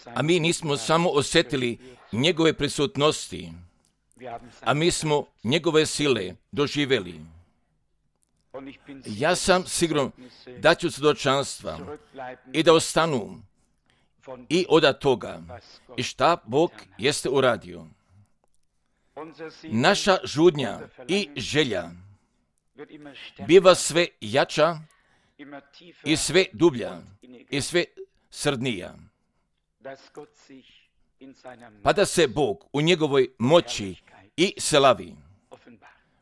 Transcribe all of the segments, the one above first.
A mi nismo samo osjetili njegove prisutnosti, a mi smo njegove sile doživjeli. Ja sam siguran da ću svjedočanstva i da ostanu i od toga i šta Bog jeste uradio. Naša žudnja i želja biva sve jača i sve dublja i sve srdnija. Pa da se Bog u njegovoj moći i slavi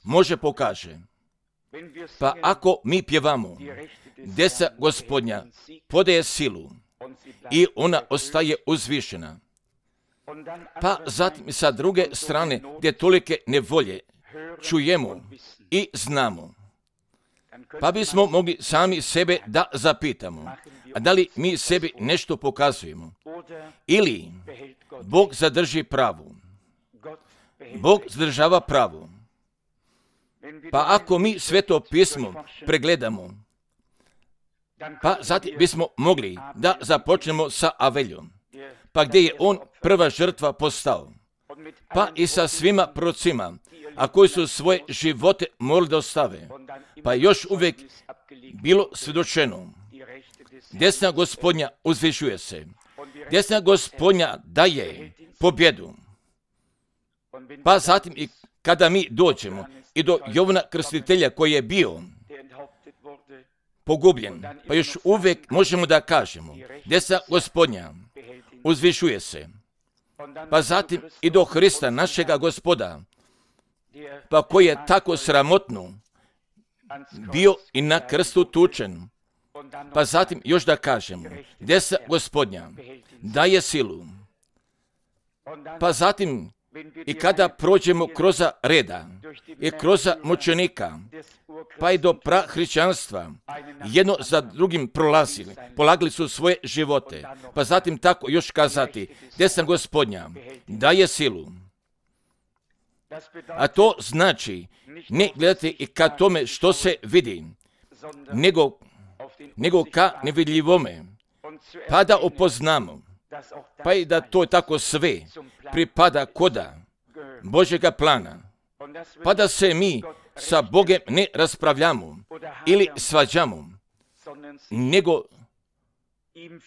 može pokaže. Pa ako mi pjevamo, deca Gospodnja podaje silu i ona ostaje uzvišena. Pa zatim sa druge strane, gdje tolike nevolje čujemo i znamo. Pa bismo mogli sami sebe da zapitamo, a da li mi sebi nešto pokazujemo? Ili Bog zadrži pravu. Bog zadržava pravu. Pa ako mi Sveto pismo pregledamo, pa zatim bismo mogli da započnemo sa Aveljom, pa gdje je on prva žrtva postao, pa i sa svima prorocima, a koji su svoje živote morali da ostave, pa još uvijek bilo svjedočeno. Desna Gospodnja uzvišuje se. Desna Gospodnja daje pobjedu. Pa zatim i kada mi dođemo i do Jovana Krstitelja koji je bio pogubljen, pa još uvijek možemo da kažemo, desna Gospodnja uzvišuje se. Pa zatim i do Hrista, našega Gospoda, pa koji je tako sramotno bio i na krstu tučen. Pa zatim još da kažemo, desna Gospodnja daje silu. Pa zatim i kada prođemo kroz reda i kroz mučenika, pa i do prahrišćanstva, jedno za drugim prolazili, polagali su svoje živote. Pa zatim tako još kazati, desna Gospodnja daje silu. A to znači ne gledati i ka tome što se vidi, nego ka nevidljivome, pa da upoznamo, pa i da to tako sve pripada koda Božjega plana, pa da se mi sa Bogem ne raspravljamo ili svađamo,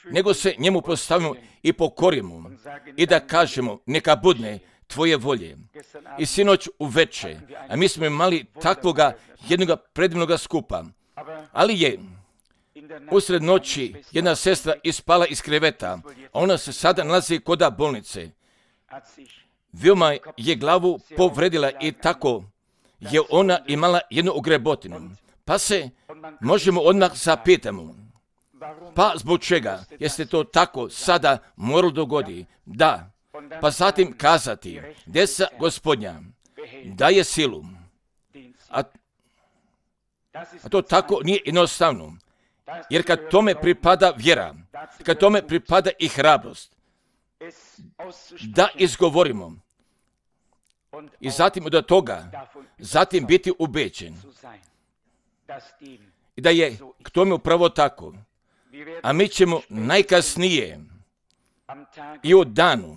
nego se njemu postavimo i pokorimo i da kažemo neka budne tvoje volje. I sinoć uveče, a mi smo imali takvoga jednoga predivnoga skupa, ali je usred noći jedna sestra ispala iz kreveta, a ona se sada nalazi koda bolnice. Veoma je glavu povredila i tako je ona imala jednu ogrebotinu. Pa se možemo odmah zapitamo, pa zbog čega jeste to tako sada moralo dogodi? Da, pa zatim kazati, desna Gospodnja daje silu. A to tako nije jednostavno. Jer kad tome pripada vjera, kad tome pripada i hrabrost, da izgovorimo i zatim od toga, zatim biti ubeđen. I da je k tome upravo tako. A mi ćemo najkasnije i u danu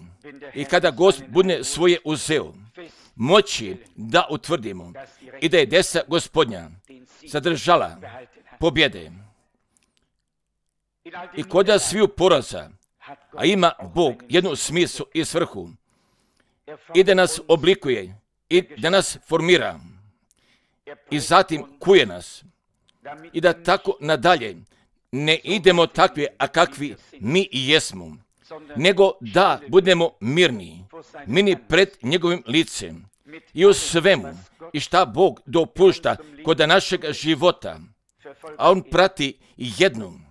i kada Gospod bude svoje uzeo, moći da utvrdimo i da je desna Gospodnja zadržala pobjede. I kod sviju poraza, a ima Bog jednu smislu i svrhu, i da nas oblikuje, i da nas formira, i zatim kuje nas, i da tako nadalje ne idemo takvi, a kakvi mi i jesmo, nego da budemo mirni pred njegovim licem i u svemu, i šta Bog dopušta kod našeg života, a on prati jednu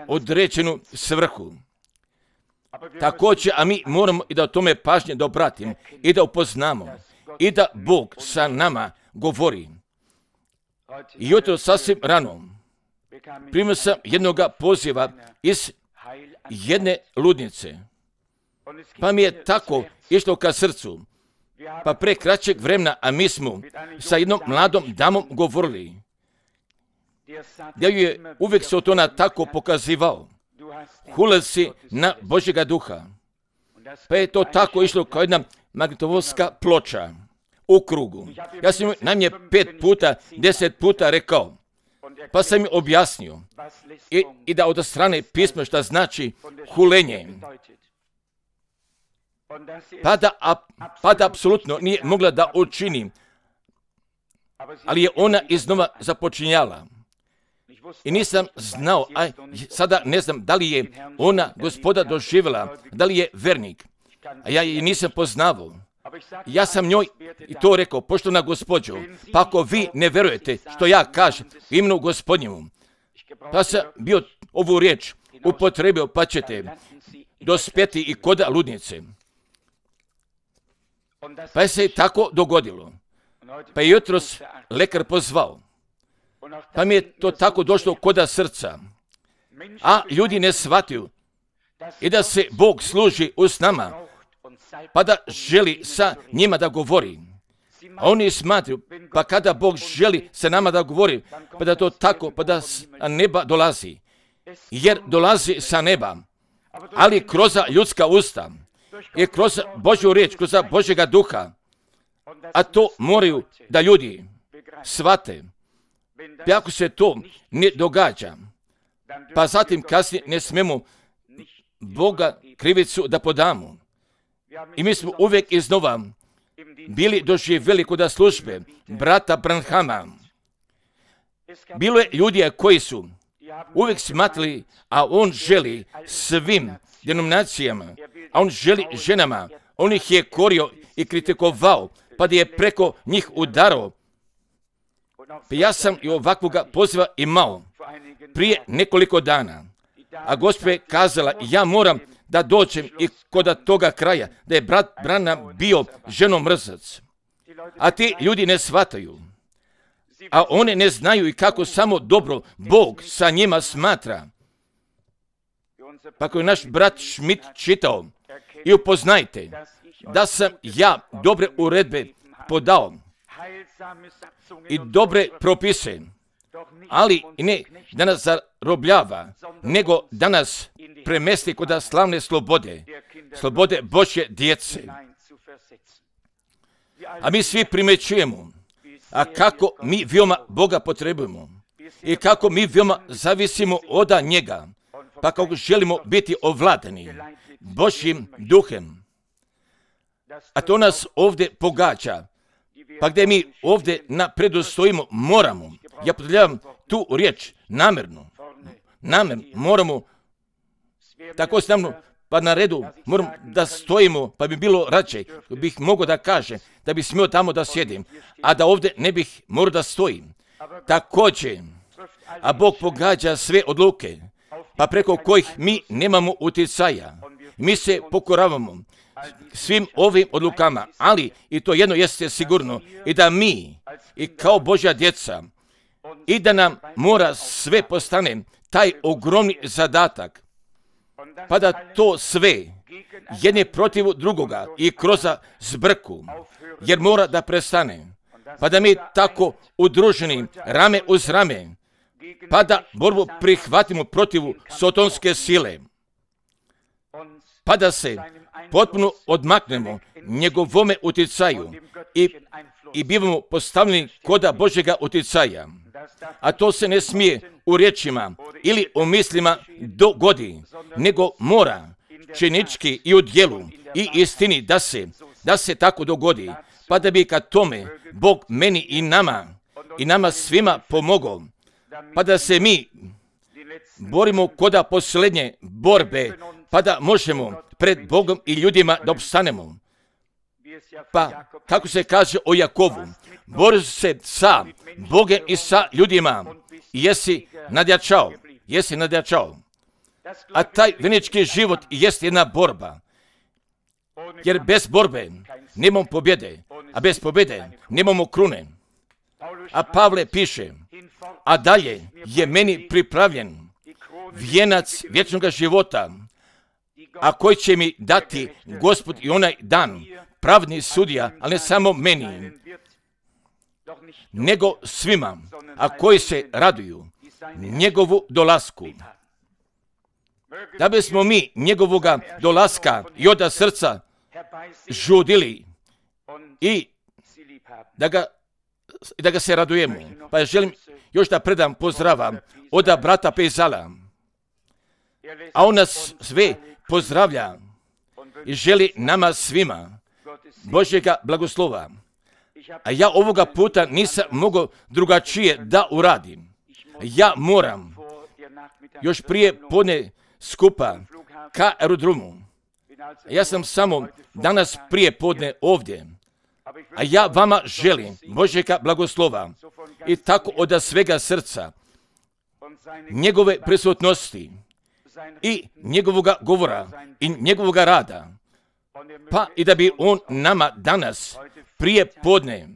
određenu svrhu. Također, a mi moramo i da o tome pažnje da obratimo i da upoznamo i da Bog sa nama govori. I jutro sasvim rano primio sam jednoga poziva iz jedne ludnice, pa mi je tako išlo ka srcu, pa pre kraćeg vremena, a mi smo sa jednom mladom damom govorili, da ju je uvijek se od ona tako pokazivao. hulasi na Božjega duha. Pa je to tako išlo kao jedna magnetofonska ploča u krugu. Ja sam najmanje 5 puta, 10 puta rekao, pa sam mi objasnio i da od strane pisma šta znači hulenje. Pa da apsolutno nije mogla da učini, ali je ona iznova započinjala. I nisam znao, a sada ne znam da li je ona Gospoda doživjela, da li je vernik, a ja je nisam poznavao. Ja sam njoj i to rekao, poštovana gospođo, pa ako vi ne verujete što ja kažem imenu Gospodnjemu, pa sam bio ovu riječ upotrebio, pa ćete dospjeti i koda ludnice. Pa je se tako dogodilo. Pa je jutros lekar pozvao. Pa mi je to tako došlo koda srca. A ljudi ne shvataju i da se Bog služi s nama, pa da želi sa njima da govori. A oni smatruju, pa kada Bog želi sa nama da govori, pa da to tako, pa da sa neba dolazi. Jer dolazi sa neba, ali kroz ljudska usta i kroz Božju riječ, kroz Božjega duha. A to moraju da ljudi shvate. Pa ako se to ne događa, pa zatim kasnije ne smemo Boga krivicu da podamo. I mi smo uvijek iznova bili doživjeli kod službe brata Branhama. Bilo je ljudi koji su uvijek smatrali, a on želi svim denominacijama, a on želi ženama, on ih je korio i kritikovao, pa da je preko njih udarao. Pa ja sam i ovakvoga poziva imao prije nekoliko dana, a Gospod je kazala, ja moram da dođem i kod toga kraja, da je brat Branham bio ženomrzac. A ti ljudi ne shvataju, a one ne znaju i kako samo dobro Bog sa njima smatra. Pa ako je naš brat Schmidt čitao, i upoznajte da sam ja dobre uredbe podao i dobre propise, ali ne da nas zarobljava, nego da nas premesti kod slavne slobode Božje djece. A mi svi primećujemo, a kako mi veoma Boga potrebujemo i kako mi veoma zavisimo od njega, pa kako želimo biti ovladani Božjim duhem. A to nas ovdje pogađa, pa gdje mi ovdje predostojimo, moramo, ja potrebljavam tu riječ namjerno, moramo tako stavno, pa na redu moramo da stojimo, pa bi bilo rađe, bih mogao da kaže, da bi smio tamo da sjedim, a da ovdje ne bih morao da stojim. Također, a Bog pogađa sve odluke, pa preko kojih mi nemamo utjecaja. Mi se pokoravamo svim ovim odlukama, ali i to jedno jeste sigurno, i da mi, i kao Božja djeca, i da nam mora sve postane taj ogromni zadatak, pa da to sve jedne protiv drugoga i kroz zbrku, jer mora da prestane, pa da mi tako udruženi rame uz rame, pa da borbu prihvatimo protiv sotonske sile, pa da se potpuno odmaknemo njegovome utjecaju i bivamo postavljeni koda Božjega utjecaja. A to se ne smije u riječima ili u mislima dogodi, nego mora činički i u djelu i istini da se tako dogodi, pa da bi ka tome Bog meni i nama svima pomogao, pa da se mi borimo koda posljednje borbe, pa da možemo pred Bogom i ljudima da opstanemo. Pa, kako se kaže o Jakovu, bori se sa Bogom i sa ljudima i jesi nadjačao. A taj vjernički život jest jedna borba, jer bez borbe nemamo pobjede, a bez pobjede nemamo krune. A Pavle piše, a dalje je meni pripravljen vijenac vječnog života, a koji će mi dati Gospod i onaj dan, pravni sudija, ali ne samo meni, nego svima, a koji se raduju njegovu dolasku. da bismo mi njegovoga dolaska i oda srca žudili i da ga se radujemo. Pa ja želim još da predam pozdrava od brata Pezala, a on nas sve pozdravlja i želi nama svima Božjega blagoslova. A ja ovoga puta nisam mogao drugačije da uradim. Ja moram još prije podne skupa ka aerodromu. Ja sam samo danas prije podne ovdje. A ja vama želim Božjega blagoslova i tako od svega srca, njegove prisutnosti i njegovoga govora i njegovoga rada. Pa i da bi on nama danas prije podne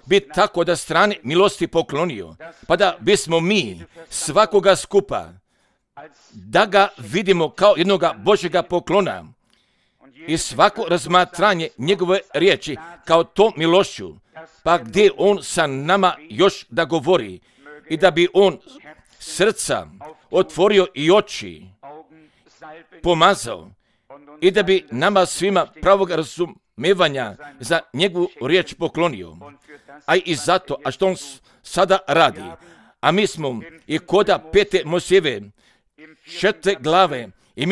bi tako da strane milosti poklonio, pa da bismo mi svakoga skupa, da ga vidimo kao jednoga Božjega poklona i svako razmatranje njegove riječi kao to milošću, pa gdje on sa nama još da govori i da bi on srca otvorio i oči pomazao i da bi nama svima pravog razumevanja za njegovu riječ poklonio. A i zato, a što on sada radi, a mi smo i koda 5. Mojsijeve 4. glave i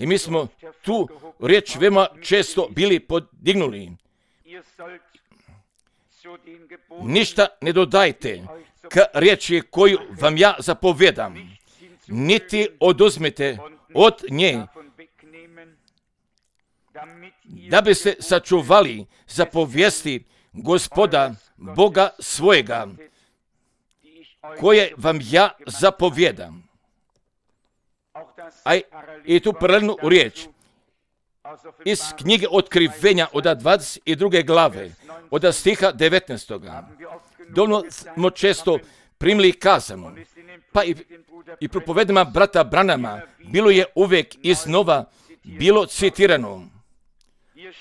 mi smo tu riječ veoma često bili podignuli. Ništa ne dodajte k riječi koju vam ja zapovjedam, niti oduzmete od nje, da bi se sačuvali zapovijesti Gospoda Boga svojega, koje vam ja zapovjedam. I tu paralelnu riječ iz knjige Otkrivenja od 22. glave, od stiha 19. Dovoljno smo često primili kazano, pa i propovedama brata Branama bilo je uvijek iznova bilo citirano.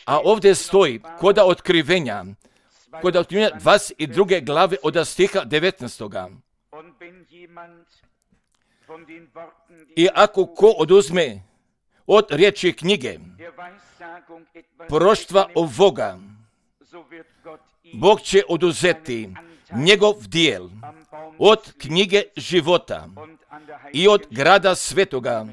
A ovdje stoji koda Otkrivenja 22. glave od stiha 19. I ako ko oduzme od riječi knjige proroštva ovoga, Bog će oduzeti njegov dijel od knjige života i od grada svetoga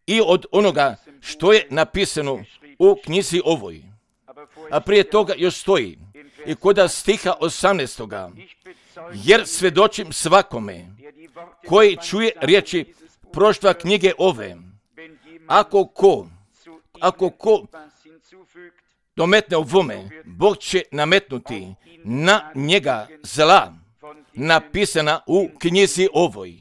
i od onoga što je napisano u knjizi ovoj. A prije toga još stoji i koda stiha 18. Jer svjedočim svakome koji čuje riječi proroštva knjige ove, ako ko dometne ovome, Bog će nametnuti na njega zla napisana u knjizi ovoj.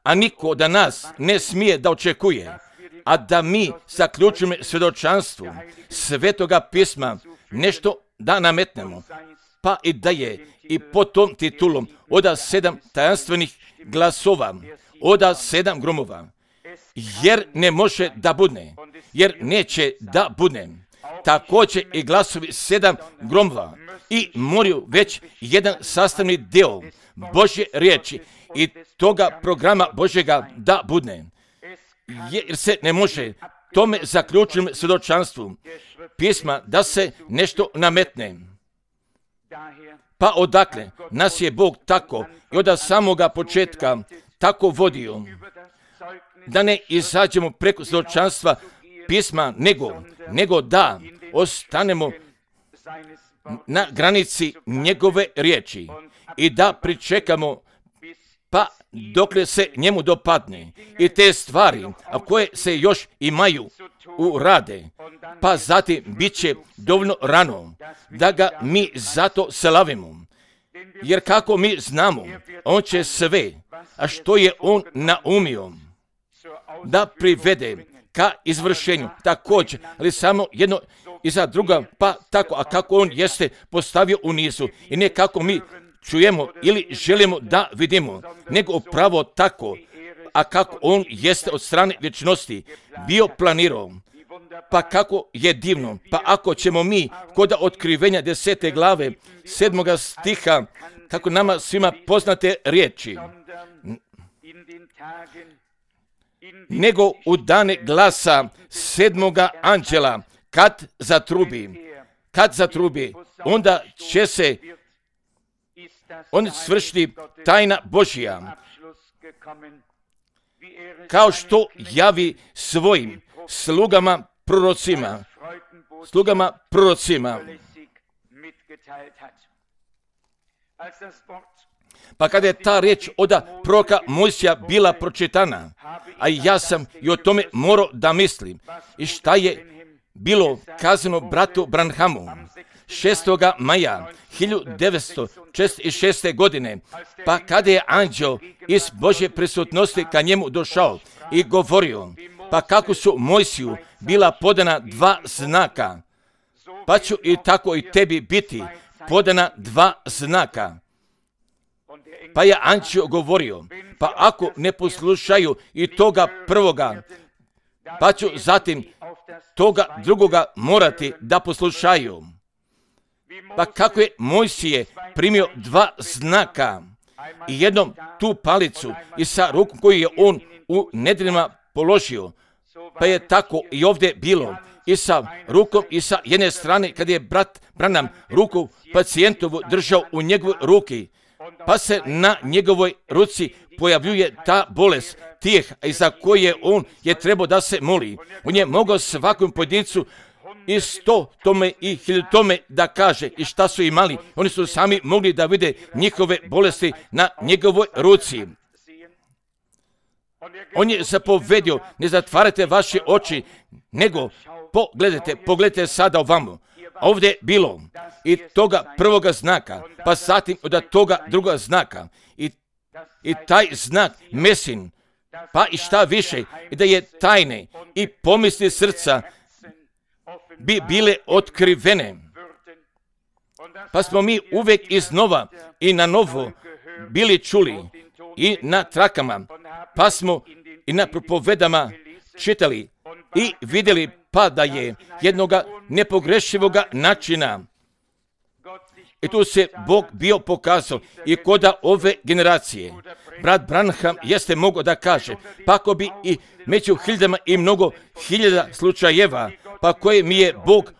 A niko da nas ne smije da očekuje, a da mi zaključimo svjedočanstvu Svetoga pisma nešto da nametnemo, pa i da je i pod tom titulom od 7 tajanstvenih glasova, od 7 gromova, jer ne može da budne, jer neće da budne. Također i glasovi 7 gromova i moraju već jedan sastavni dio Božje riječi i toga programa Božjega da budne. Jer se ne može tome zaključenom svjedočanstvu pisma da se nešto nametne. Pa odakle nas je Bog tako i od samoga početka tako vodio, da ne izađemo preko svjedočanstva pisma, nego da ostanemo na granici njegove riječi i da pričekamo pa dokle se njemu dopadne i te stvari, a koje se još imaju u rade, pa zatim bit će dovoljno rano da ga mi zato slavimo. Jer kako mi znamo, on će sve, a što je on naumio, da privede ka izvršenju također, ali samo jedno iza druga, pa tako, a kako on jeste postavio u nizu i ne kako mi čujemo ili želimo da vidimo, nego upravo tako, a kako on jeste od strane vječnosti bio planirao, Pa kako je divno, pa ako ćemo mi kod Otkrivenja 10. glave 7. stiha, kako nama svima poznate riječi, nego u dane glasa 7. anđela, kad zatrubi, onda će se on svršiti tajna Božja, kao što javi svojim slugama prorocima. Pa kada je ta riječ od proroka Mojsija bila pročitana, a ja sam i o tome morao da mislim, i šta je bilo kazano bratu Branhamu 6. maja 1946. godine, pa kada je anđeo iz Božje prisutnosti ka njemu došao i govorio, pa kako su Mojsiju bila podana 2 znaka, pa ću i tako i tebi biti podana 2 znaka. Pa je anđeo govorio, pa ako ne poslušaju i toga prvoga, pa ću zatim toga drugoga morati da poslušaju. Pa kako je Mojsije primio 2 znaka i jednom tu palicu i sa rukom koju je on u nedjeljama položio, pa je tako i ovdje bilo i sa rukom i sa jedne strane kad je brat Branham ruku pacijentovu držao u njegovoj ruki, pa se na njegovoj ruci pojavljuje ta bolest tijeh za koje on je trebao da se moli. On je mogao svakom pojedincu i 100 tome i 1000 tome da kaže i šta su imali. Oni su sami mogli da vide njihove bolesti na njegovoj ruci. On je zapovedio, ne zatvarajte vaše oči, nego pogledajte sada ovamo. Ovdje je bilo i toga prvoga znaka, pa zatim od toga druga znaka. I taj znak Mesin, pa i šta više, i da je tajne i pomisli srca bi bile otkrivene. Pa smo mi uvijek iznova i na novo bili čuli i na trakama, pa smo i na propovedama čitali i vidjeli pa da je jednoga nepogrešivoga načina. I tu se Bog bio pokazao i kod ove generacije. Brat Branham jeste mogao da kaže, pa ako bi i među hiljadama i mnogo hiljada slučajeva, pa koje mi je Bog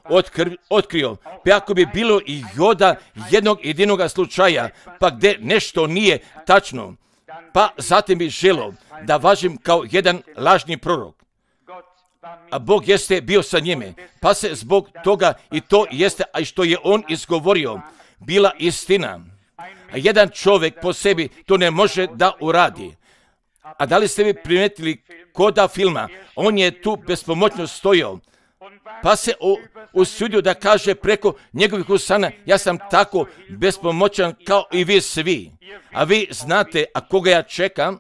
otkrio, pa ako bi bilo i joda jednog jedinoga slučaja, pa gdje nešto nije tačno, pa zatim bi želio da važim kao jedan lažni prorok. A Bog jeste bio sa njime, pa se zbog toga i to jeste, a što je on izgovorio, bila istina. A jedan čovjek po sebi to ne može da uradi. A da li ste vi primijetili koda filma, on je tu bespomoćno stojao, pa se usudio da kaže preko njegovih usana, ja sam tako bespomoćan kao i vi svi. A vi znate, a koga ja čekam?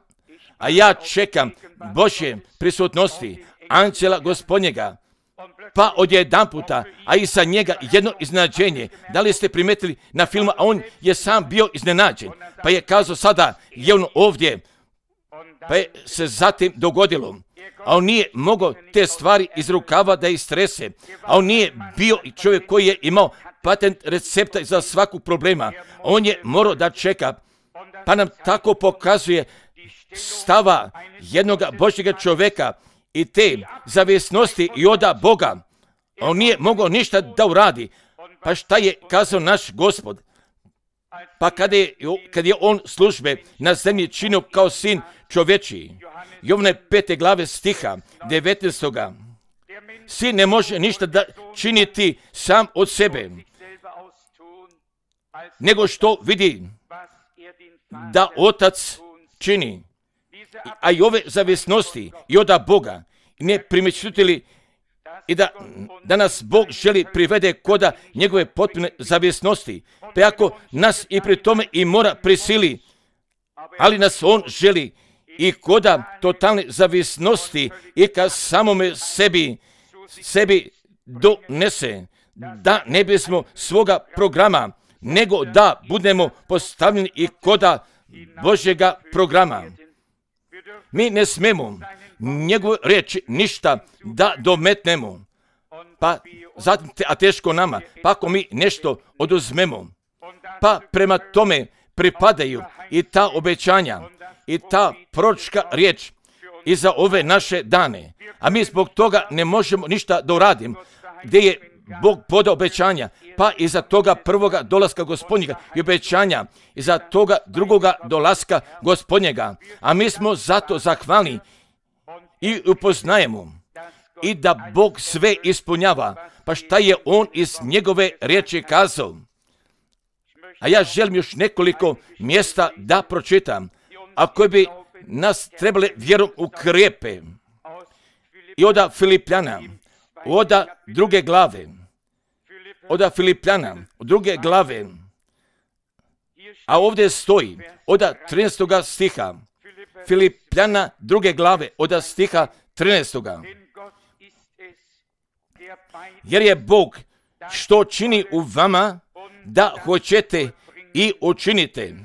A ja čekam Božje prisutnosti, anđela Gospodnjega. Pa odjedanputa, a i sa njega jedno iznenađenje. Da li ste primijetili na filmu, a on je sam bio iznenađen. Pa je kazao sada, je on ovdje. Pa je se zatim dogodilo. A on nije mogao te stvari iz rukava da istrese. A on nije bio čovjek koji je imao patent recepta za svakog problema. On je morao da čeka. Pa nam tako pokazuje stava jednog Božjega čovjeka i te zavisnosti i od Boga. On nije mogao ništa da uradi. Pa šta je kazao naš Gospod? Pa kad je on službe na zemlji činio kao sin čovječiji. Jovne 5. glave stiha 19. Sin ne može ništa da činiti sam od sebe, nego što vidi da otac čini. A i ove zavisnosti i od Boga ne primjećujete i da nas Bog želi privede koda njegove potpune zavisnosti. Pa ako nas i pri tome i mora prisili, ali nas on želi i koda totalne zavisnosti i ka samome sebi donese, da ne bismo svoga programa, nego da budemo postavljeni i koda Božjega programa. Mi ne smemo njegovu riječ ništa da dometnemo, pa zatim a teško nama, pa ako mi nešto oduzmemo, pa prema tome pripadaju i ta obećanja i ta proročka riječ i za ove naše dane, a mi zbog toga ne možemo ništa da uradimo, gdje je Bog podao obećanja, pa i za toga prvoga dolaska Gospodnjega i obećanja i za toga drugoga dolaska Gospodnjega, a mi smo zato zahvalni i upoznajemo i da Bog sve ispunjava, pa šta je On iz njegove riječi kazao. A ja želim još nekoliko mjesta da pročitam, a koji bi nas trebali vjerom ukrijepe. I oda Filipljana, oda druge glave, oda Filipljana, druge glave, a ovdje stoji, oda 13. stiha, Filipljana druge glave, oda stiha 13. Jer je Bog što čini u vama, da hoćete i učinite,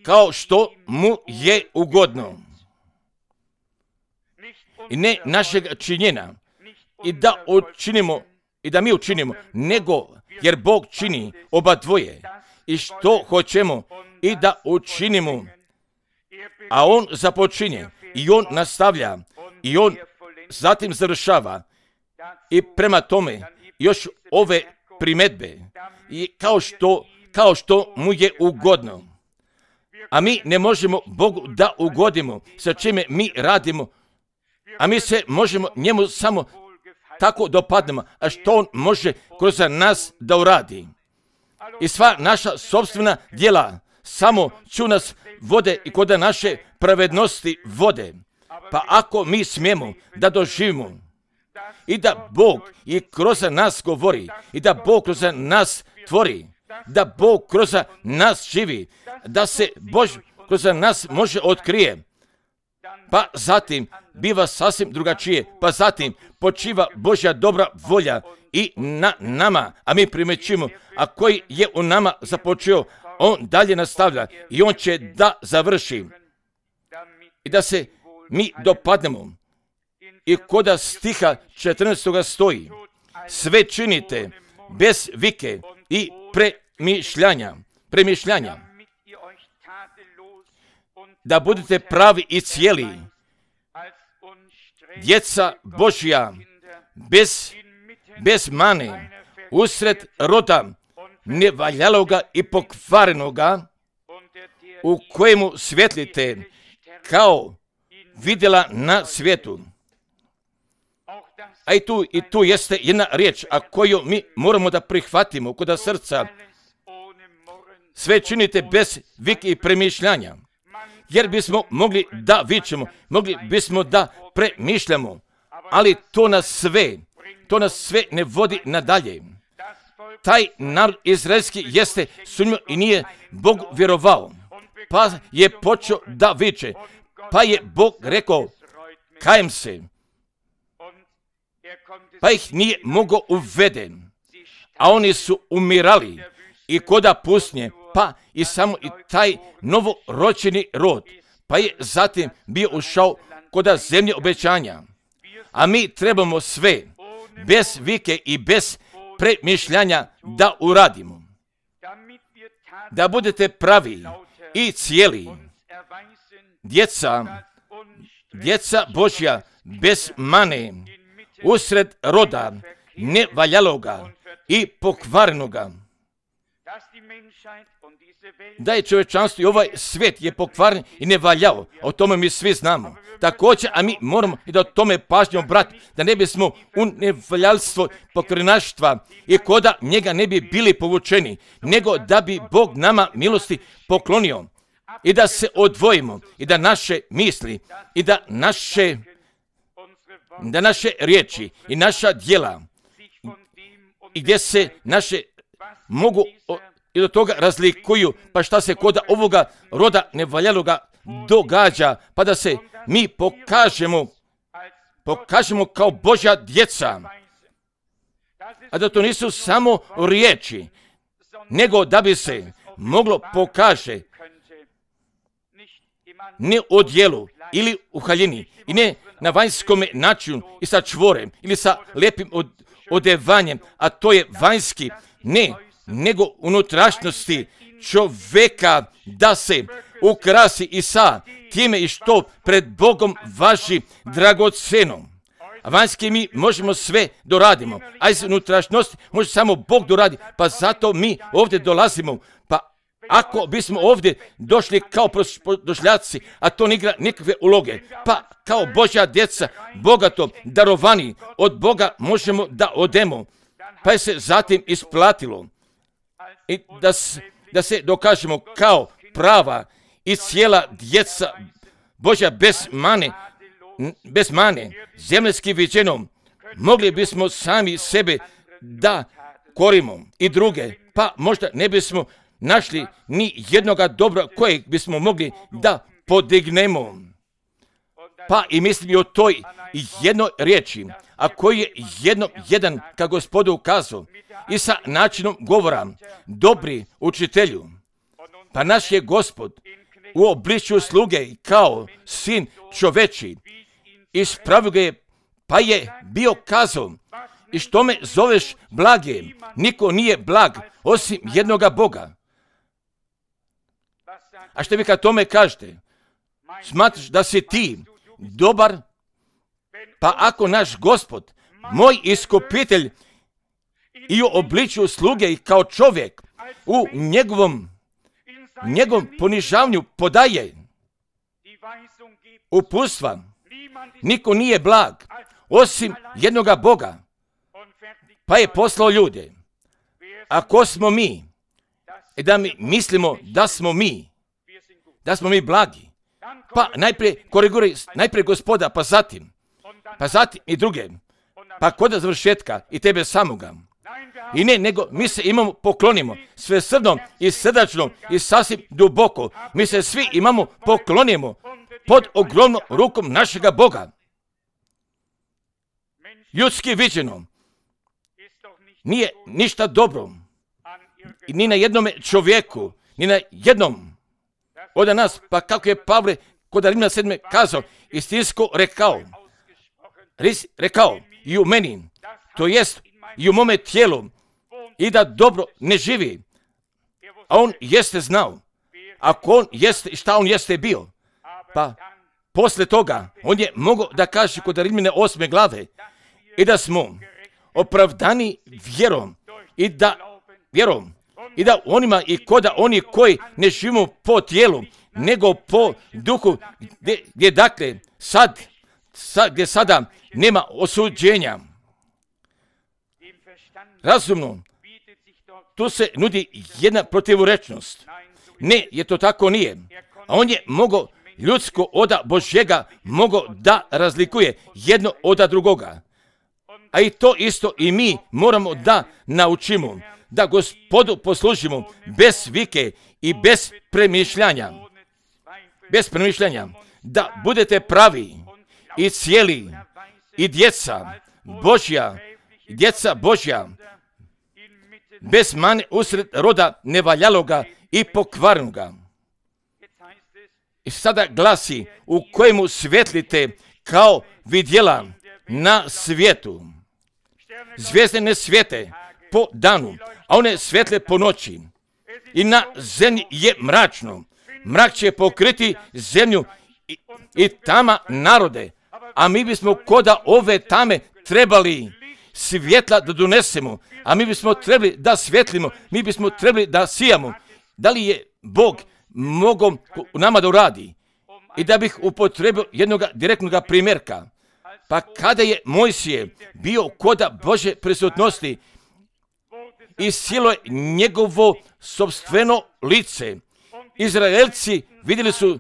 kao što mu je ugodno. I ne našeg činjenja, i da učinimo, i da mi učinimo, nego jer Bog čini oba dvoje, i što hoćemo i da učinimo, a On započinje, i On nastavlja, i On zatim završava, i prema tome još ove primjedbe, i kao što mu je ugodno. A mi ne možemo Bogu da ugodimo sa čime mi radimo, a mi se možemo njemu samo tako dopadnemo, a što on može kroz nas da uradi. I sva naša sopstvena djela samo ću nas vode i kod naše pravednosti vode. Pa ako mi smijemo da doživimo i da Bog i kroz nas govori, i da Bog kroz nas tvori, da Bog kroz nas živi, da se Bož kroz nas može otkrije, pa zatim biva sasvim drugačije, pa zatim počiva Božja dobra volja i na nama, a mi primećujemo, a koji je u nama započeo, on dalje nastavlja i on će da završi i da se mi dopadnemo. I koda stiha 14. stoji, sve činite bez vike i premišljanja, da budete pravi i cijeli, djeca Božja, bez mane, usred roda nevaljaloga i pokvarenoga, u kojemu svjetlite kao vidjela na svijetu. A i tu jeste jedna riječ, a koju mi moramo da prihvatimo kod srca. Sve činite bez vike i premišljanja. Jer bismo mogli da vičemo, mogli bismo da premišljamo, ali to nas sve ne vodi nadalje. Taj narod izraelski jeste sumnjao i nije Bog vjerovao, pa je počeo da viče, pa je Bog rekao, kajem se, pa ih nije mogao uveden, a oni su umirali i koda pusnje, pa i samo i taj novorođeni rod, pa je zatim bio ušao koda zemlje obećanja. A mi trebamo sve, bez vike i bez premišljanja da uradimo. Da budete pravi i cijeli, djeca Božja, bez mane, usred roda nevaljaloga i pokvarenoga. Da je čovječanstvo i ovaj svijet je pokvaren i nevaljao, o tome mi svi znamo. Također, a mi moramo i da o tome pažnjom brati, da ne bismo u nevaljalstvo pokvarenaštva i koda njega ne bi bili povučeni, nego da bi Bog nama milosti poklonio i da se odvojimo i da naše misli i da naše riječi i naša djela i gdje se naše mogu i do toga razlikuju, pa šta se kod ovoga roda nevaljaloga događa, pa da se mi pokažemo kao Božja djeca, a da to nisu samo riječi, nego da bi se moglo pokaže ne u djelu ili u haljini i ne na vanjskom načinu i sa čvorem ili sa lijepim odevanjem, a to je vanjski, ne, nego unutrašnjosti čovjeka da se ukrasi i sa time i što pred Bogom važi dragoceno. A vanjski mi možemo sve doradimo, a iz unutrašnjosti može samo Bog doradi, pa zato mi ovdje dolazimo. Pa ako bismo ovdje došli kao došljaci, a to ne igra nikakve uloge, pa kao Božja djeca, bogato darovani od Boga možemo da odemo, pa je se zatim isplatilo i da se dokažemo kao prava i cijela djeca Božja bez mane, zemljski viđenom, mogli bismo sami sebe da korimo i druge, pa možda ne bismo našli ni jednoga dobra kojeg bismo mogli da podignemo. Pa i mislim i o toj jednoj riječi, a koji je jedan ka Gospodu ukazao i sa načinom govora, dobri učitelju. Pa naš je Gospod u obličju sluge kao sin čoveči ispravio ga je, pa je bio kazao, i što me zoveš blagim, niko nije blag osim jednoga Boga. A što vi kad tome kažete? Smatraš da si ti dobar? Pa ako naš Gospod, moj iskupitelj i u obličju sluge i kao čovjek u njegovom ponižavanju podaje uputstva, niko nije blag osim jednoga Boga, pa je poslao ljude. Ako smo mi, i da mi mislimo da smo mi blagi, pa najprije koriguraj, najprije Gospoda, pa zatim i druge, pa kod završetka i tebe samoga. I ne, nego mi se imamo poklonimo svesrdno i srdačno i sasvim duboko. Mi se svi imamo poklonimo pod ogromnom rukom našega Boga. Ljudski viđeno nije ništa dobro ni na jednom čovjeku, ni na jednom od nas, pa kako je Pavle kod Rimljana 7. kazao, istinsko rekao i u meni, to jest i u mome tijelu, i da dobro ne živi. A on jeste znao, ako on jeste, šta on jeste bio. Pa posle toga, on je mogao da kaže kod Rimljana 8. glave, i da smo opravdani vjerom, i da onima i koda oni koji ne živimo po tijelu, nego po duhu, gdje dakle gdje sada nema osuđenja. Razumno, tu se nudi jedna protivurečnost. Ne, je to tako nije. A on je mogao ljudsko oda Božjega mogao da razlikuje jedno od drugoga. A i to isto i mi moramo da naučimo, da Gospodu poslužimo bez vike i bez premišljanja. Bez premišljanja, da budete pravi i cijeli i djeca Božja, bez mane usred roda nevaljaloga i pokvarnoga. I sada glasi, u kojemu svjetlite kao vidjela na svijetu. Zvijezde ne svijete po danu, a one svjetle po noći. I na zemlji je mračno. Mrak će pokriti zemlju i tama narode. A mi bismo koda ove tame trebali svjetla da donesemo. A mi bismo trebali da svjetlimo. Mi bismo trebali da sijamo. Da li je Bog mogao u nama da uradi? I da bih upotrebio jednog direktnog primjerka. Pa kada je Mojsije bio koda Božje prisutnosti i silo je njegovo sopstveno lice, Izraelci vidjeli su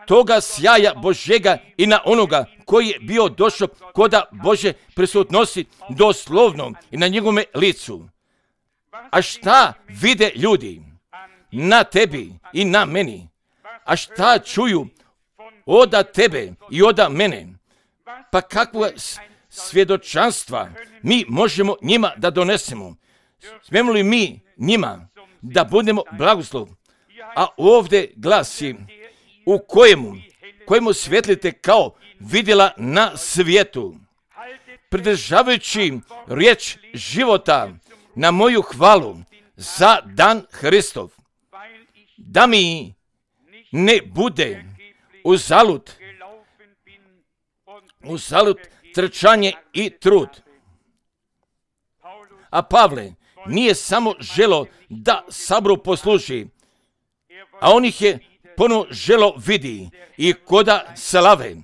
toga sjaja Božjega i na onoga koji je bio došao koda Božje prisutnosti doslovno i na njegovome licu. A šta vide ljudi na tebi i na meni? A šta čuju oda tebe i oda mene? Pa kakva svjedočanstva mi možemo njima da donesemo? Smijemo li mi njima da budemo blagoslov? A ovdje glasi, u kojemu svjetlite kao vidjela na svijetu. Pridržavajući riječ života na moju hvalu za dan Hristov, da mi ne bude uzalud trčanje i trud. A Pavle nije samo želo da Saboru posluži, a on ih je ponovno želo vidi i koda slave,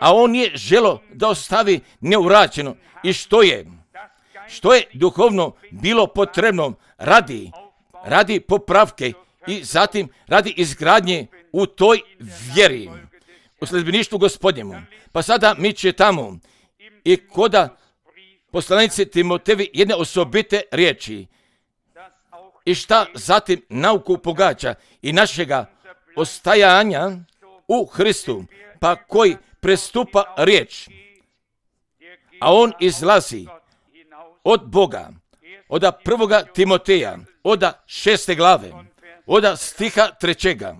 a on je želo da ostavi neurađeno i što je duhovno bilo potrebno radi popravke i zatim radi izgradnje u toj vjeri, u sljedbeništvu Gospodnjemu. Pa sada mi čitamo i koda poslanici Timotevi jedne osobite riječi i šta zatim nauku pogađa i našega ostajanja u Hristu, pa koji prestupa riječ, a on izlazi od Boga, od 1. Timoteja, od 6. glave, od stiha 3.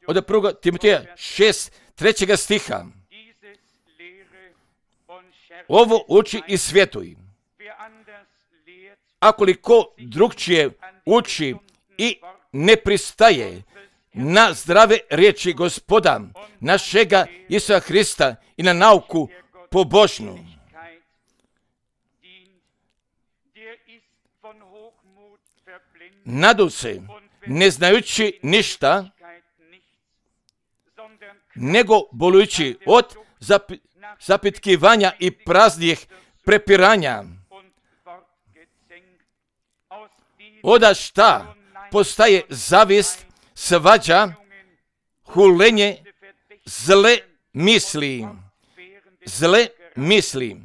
Od 1. Timoteja 6, 3. stiha. Ovo uči i svjetuj. Akoliko drugčije uči i ne pristaje na zdrave riječi Gospoda našega Isusa Hrista i na nauku pobožnu, nadu se, ne znajući ništa, nego bolujući od zapitkivanja i praznih prepiranja. Oda šta postaje zavist, svađa, hulenje, zle misli.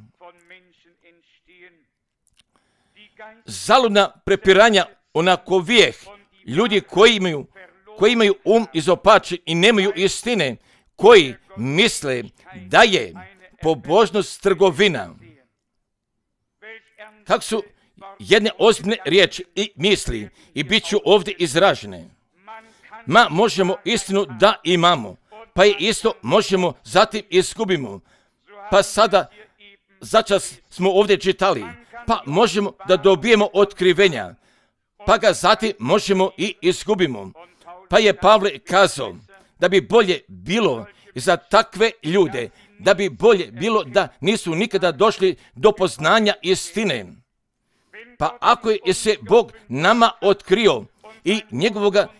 Zaludna prepiranja onakovijeh ljudi koji imaju izopačen i nemaju istine, koji misle da je pobožnost trgovina. Kako su jedne ozbiljne riječi i misli i bit ću ovdje izražene. Možemo istinu da imamo, pa i isto možemo zatim izgubimo. Pa sada začas smo ovdje čitali, pa možemo da dobijemo otkrivenja, pa ga zatim možemo i izgubimo. Pa je Pavle kazao da bi bolje bilo za takve ljude, da bi bolje bilo da nisu nikada došli do poznanja istine. Pa ako je se Bog nama otkrio i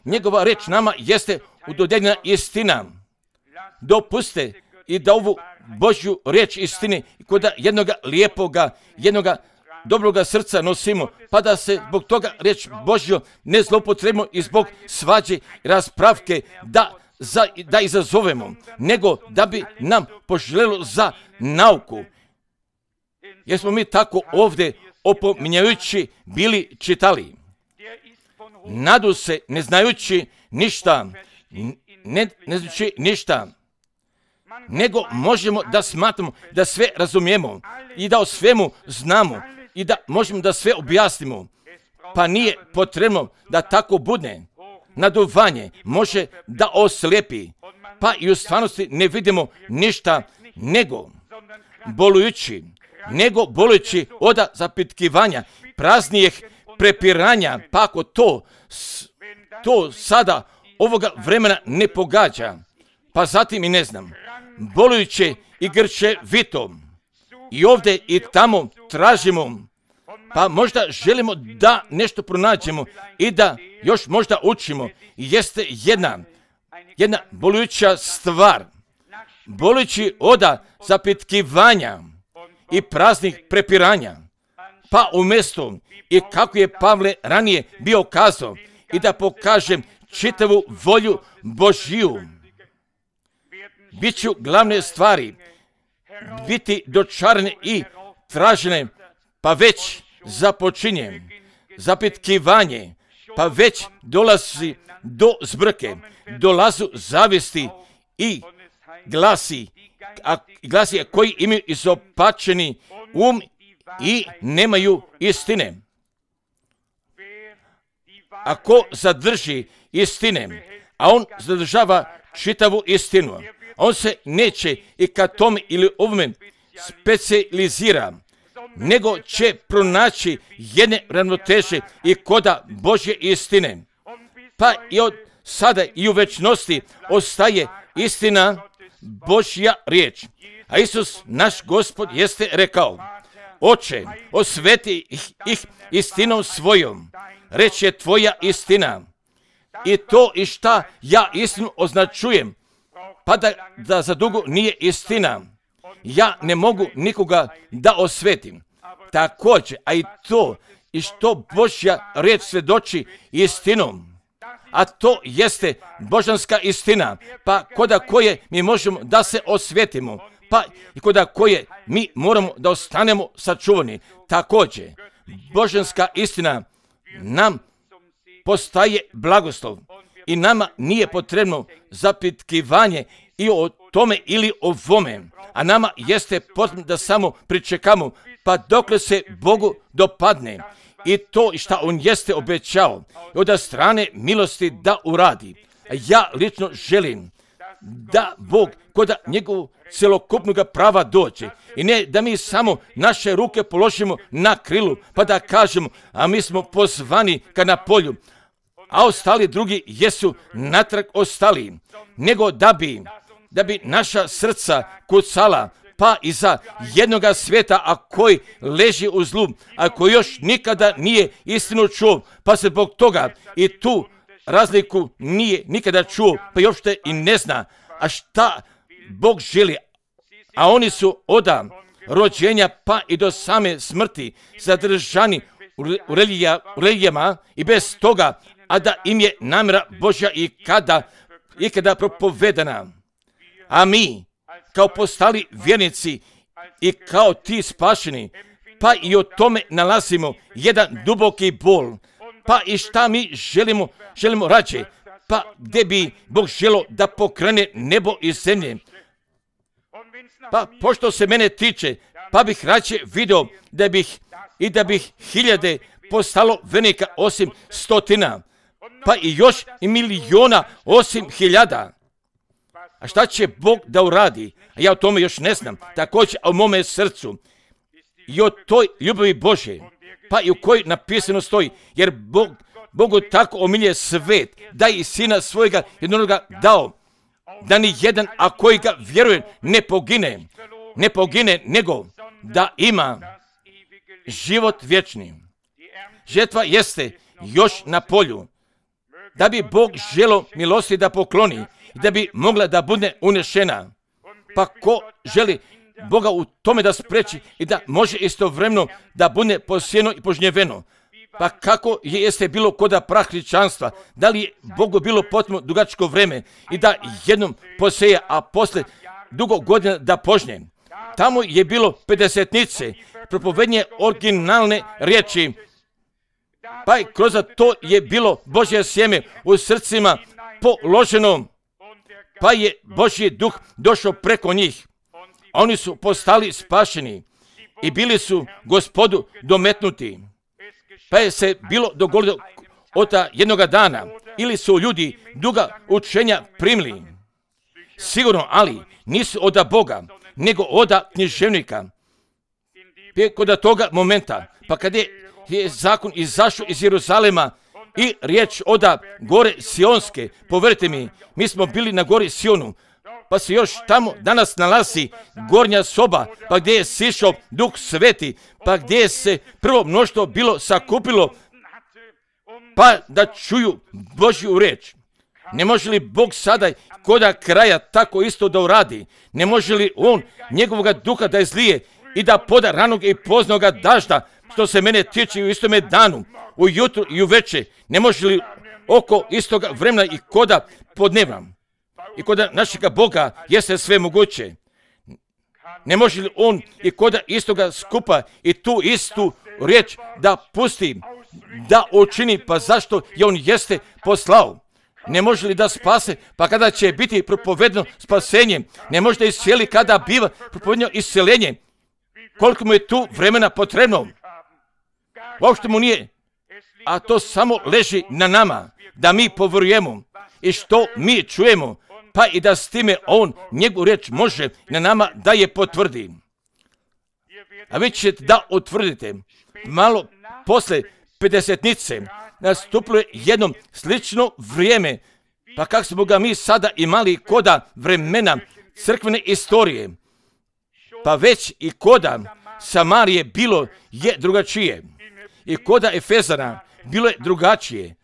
njegova reč nama jeste udodjeljena istina, dopuste i da ovu Božju riječ istine kod jednoga lijepoga, jednoga dobroga srca nosimo, pa da se zbog toga riječ Božju ne zloupotrebimo i zbog svađe i raspravke da izazovemo, nego da bi nam poželjelo za nauku. Jer smo mi tako ovdje opominjajući bili čitali. Nadu se ne znajući ništa, nego možemo da smatramo da sve razumijemo i da o svemu znamo i da možemo da sve objasnimo. Pa nije potrebno da tako bude. Naduvanje može da oslijepi, pa i u stvarnosti ne vidimo ništa nego bolujući od zapitkivanja, praznijih prepiranja, pa ako to sada ovoga vremena ne pogađa, pa zatim i ne znam, bolujuće i grčevito i ovdje i tamo tražimo, pa možda želimo da nešto pronađemo i da još možda učimo. Jeste jedna bolujuća stvar, bolujući od zapitkivanja i praznih prepiranja, pa umjesto i kako je Pavle ranije bio kazao i da pokažem čitavu volju Božju, bit ću glavne stvari biti dočarane i tražene, pa već započinjem zapitkivanje, pa već dolazi do zbrke, dolazu zavisti i glasi koji imaju izopačeni i nemaju istine. Ako zadrži istine, a on zadržava čitavu istinu. On se neće i ka tome ili ovome specijalizira, nego će pronaći jedne ravnoteže i koda Božje istine. Pa i od sada i u večnosti ostaje istina Božja riječ. A Isus, naš Gospod, jeste rekao: Oče, osveti ih istinom svojom, reč je tvoja istina. I to i šta ja istinu označujem, pa da za dugo nije istina, ja ne mogu nikoga da osvetim. Također, a i to i što Božja riječ svjedoči istinom, a to jeste božanska istina, pa koda koje mi možemo da se osvetimo, pa i koda koje mi moramo da ostanemo sačuvani. Također, božanska istina nam postaje blagoslov i nama nije potrebno zapitkivanje i o tome ili o vome, a nama jeste potrebno da samo pričekamo pa dokle se Bogu dopadne i to što on jeste obećao od strane milosti da uradi. Ja lično želim da Bog kod njegovog celokupnog prava dođe i ne da mi samo naše ruke položimo na krilu pa da kažemo, a mi smo pozvani ka na polju, a ostali drugi jesu natrag ostali, nego da bi naša srca kucala pa iza jednoga svijeta, a koji leži u zlu, a koji još nikada nije istinu čuo, pa se zbog toga i tu razliku nije nikada čuo, pa još te i ne zna, a šta Bog želi. A oni su od rođenja pa i do same smrti zadržani u religijama i bez toga, a da im je namjera Božja i kada propovedana. A mi, kao postali vjernici i kao ti spašeni, pa i o tome nalazimo jedan duboki bol, pa i šta mi želimo rađe, pa gdje bi Bog želio da pokrene nebo i zemlje. Pa pošto se mene tiče, pa bih rađe video da bih hiljade postalo vjernika osim stotina, pa i još i miliona osim hiljada. A šta će Bog da uradi? A ja o tome još ne znam. Također o mome srcu i o toj ljubavi Božje, pa i u kojoj napisano stoji, jer Bogu tako omilje svet, da i sina svojega jednoga dao, da ni jedan, a koji ga vjeruje, ne pogine, nego da ima život vječni. Žetva jeste još na polju, da bi Bog želo milosti da pokloni, da bi mogla da bude unešena. Pa ko želi Boga u tome da spreči i da može istovremeno da bude posijeno i požnjeveno. Pa kako jeste bilo koda prah hrišćanstva, da li je Bogu bilo potpuno dugačko vreme i da jednom poseje, a posle dugo godina da požnje. Tamo je bilo pedesetnice, propovednje originalne riječi, pa i kroz to je bilo Božje sjeme u srcima položeno, pa je Božji duh došao preko njih. Oni su postali spašeni i bili su Gospodu dometnuti. Pa je se bilo dogodilo od jednoga dana ili su ljudi duga učenja primili. Sigurno, ali nisu od Boga, nego od književnika. Kod toga momenta, pa kad je zakon izašao iz Jeruzalema i riječ od gore Sionske, povjerite mi smo bili na gori Sionu, pa se još tamo danas nalazi gornja soba, pa gdje je sišao Duh Sveti, pa gdje je se prvo mnoštvo bilo sakupilo, pa da čuju Božju riječ. Ne može li Bog sada koda kraja tako isto da uradi? Ne može li On njegovoga duha da izlije i da poda ranog i poznoga dažda, što se mene tiče u istome danu, ujutru i uveče? Ne može li oko istoga vremena i koda podnevna? I koda našega Boga jeste sve moguće. Ne može li On i koda istoga skupa i tu istu riječ da pusti, da učini, pa zašto je On jeste poslao? Ne može li da spase, pa kada će biti propovedno spasenje? Ne može da iscijeli kada biva propovedno isceljenje? Koliko mu je tu vremena potrebno? Uopšte mu nije. A to samo leži na nama, da mi povjerujemo i što mi čujemo, pa i da s time on njegovu riječ može na nama da je potvrdi. A vi ćete da utvrdite, malo posle pedesetnice nastupilo je jedno slično vrijeme, pa kako smo ga mi sada imali koda vremena crkvene istorije, pa već i koda Samarije bilo je drugačije i koda Efezana bilo je drugačije,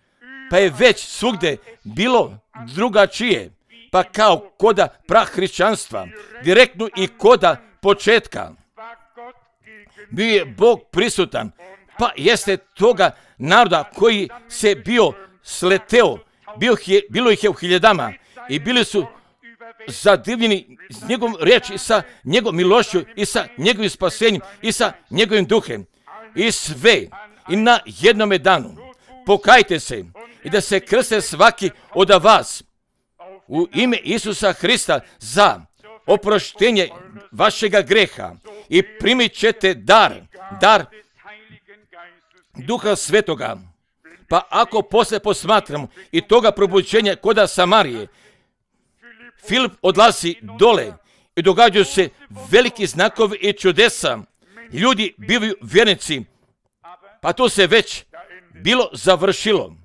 pa je već svugde bilo drugačije, pa kao koda prahrišćanstva, direktno i koda početka. Bio je Bog prisutan, pa jeste toga naroda koji se bio sleteo, bilo ih je u hiljadama i bili su zadivljeni s njegovom riječi i sa njegovom milošću i sa njegovim spasenjem i sa njegovim duhem. I sve i na jednome danu pokajte se i da se krste svaki od vas u ime Isusa Hrista za oproštenje vašega greha i primit ćete dar Duha Svetoga. Pa ako posle posmatramo i toga probuđenja koda Samarije, Filip odlazi dole i događaju se veliki znakovi i čudesa. Ljudi bivaju vjernici, pa to se već bilo završilo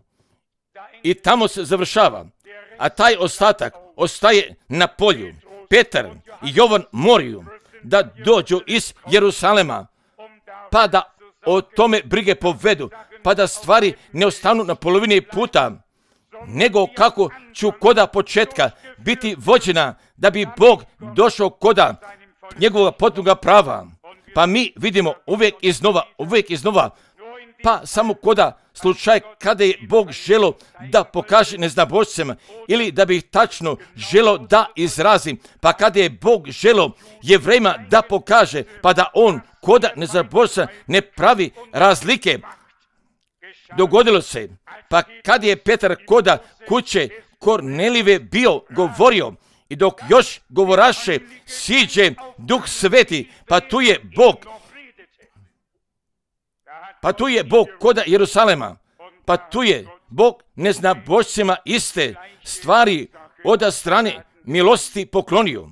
i tamo se završava, a taj ostatak ostaje na polju. Petar i Jovan moraju da dođu iz Jerusalema, pa da o tome brige povedu, pa da stvari ne ostanu na polovini puta, nego kako ću koda početka biti vođena da bi Bog došao koda njegovog potpunog prava. Pa mi vidimo uvijek iznova, pa samo koda slučaj kada je Bog želo da pokaže neznabošcima ili da bi ih tačno želo da izrazi, pa kada je Bog želo Jevrejima da pokaže, pa da on koda neznabošca ne pravi razlike. Dogodilo se, pa kad je Petar koda kuće Kornelijeve bio govorio i dok još govoraše siđe Duh Sveti, pa tu je Bog koda Jerusalema, pa tu je Bog neznabošcima iste stvari od strane milosti poklonio.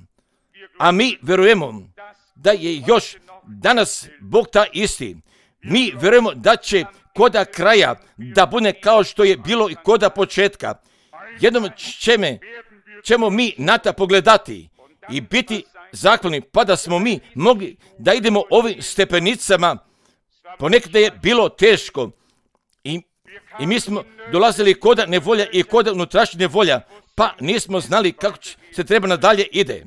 A mi verujemo da je još danas Bog ta isti. Mi verujemo da će koda kraja da bude kao što je bilo i koda početka. Jednom ćemo mi na to pogledati i biti zahvalni, pa da smo mi mogli da idemo ovim stepenicama. Ponekada je bilo teško i mi smo dolazili koda nevolja i koda unutrašnja nevolja, pa nismo znali kako se treba nadalje ide.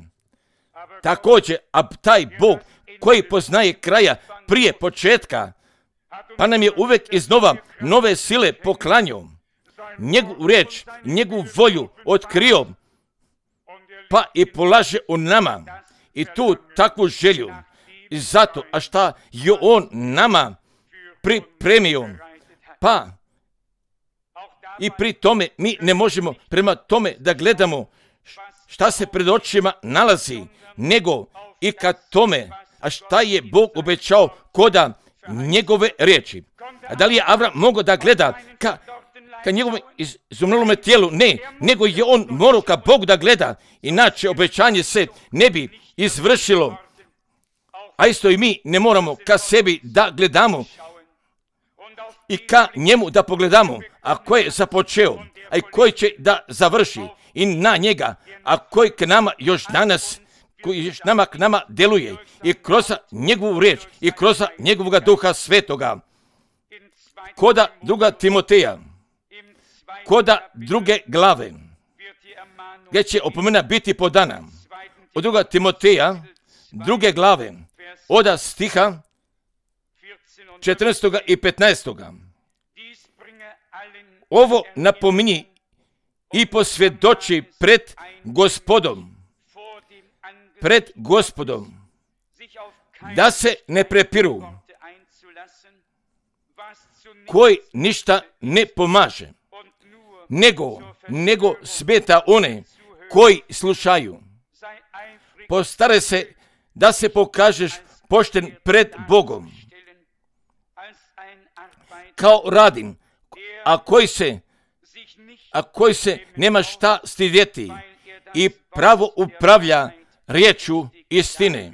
Također, a taj Bog koji poznaje kraja prije početka, pa nam je uvijek iznova nove sile poklanjao, njegovu riječ, njegovu volju otkrio, pa i polaže u nama i tu takvu želju. I zato, a šta je on nama pripremio, pa i pri tome mi ne možemo prema tome da gledamo šta se pred očima nalazi, nego i kad tome, a šta je Bog obećao koda njegove riječi. A da li je Avram mogao da gleda ka njegovom izumrlome tijelu? Ne, nego je on morao ka Bogu da gleda, inače obećanje se ne bi izvršilo. A isto i mi ne moramo ka sebi da gledamo i ka njemu da pogledamo, a koji je započeo, a i koji će da završi i na njega, a koji k nama još danas, koji još k nama deluje i kroz njegovu riječ i kroz njegovog Duha Svetoga. Koda 2. Timoteja, koda 2. glave, gdje će opomena biti podana. Od 2. Timoteja, 2. glave, od stiha 14. i 15. Ovo napominji i posvjedoči pred Gospodom, da se ne prepiru, koji ništa ne pomaže, nego smeta one koji slušaju. Postare se da se pokažeš pošten pred Bogom, kao radin, a koji se nema šta stidjeti, i pravo upravlja riječu istine.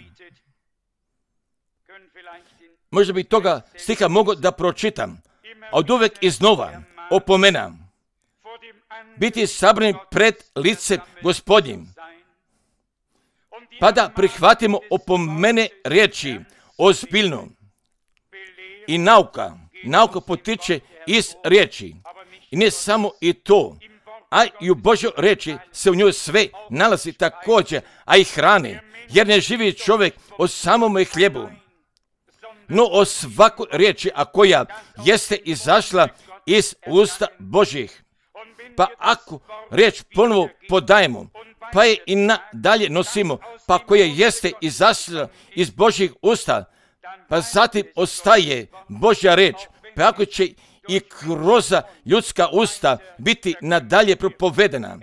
Možda bi toga stiha mogao da pročitam, a od uvek iznova opomenam. Biti sabrani pred licem Gospodnjim, pa da prihvatimo opomene riječi ozbiljno. I nauka potiče iz riječi. I ne samo i to, a i u Božoj riječi se u njoj sve nalazi također, a i hrane, jer ne živi čovjek o samome hljebu, no o svakoj riječi, a koja jeste izašla iz usta Božjih. Pa ako riječ ponovo podajemo, pa je i nadalje nosimo, pa koja jeste izašla iz Božjih usta, pa zatim ostaje Božja riječ, pa ako će i kroz ljudska usta biti nadalje propovedena,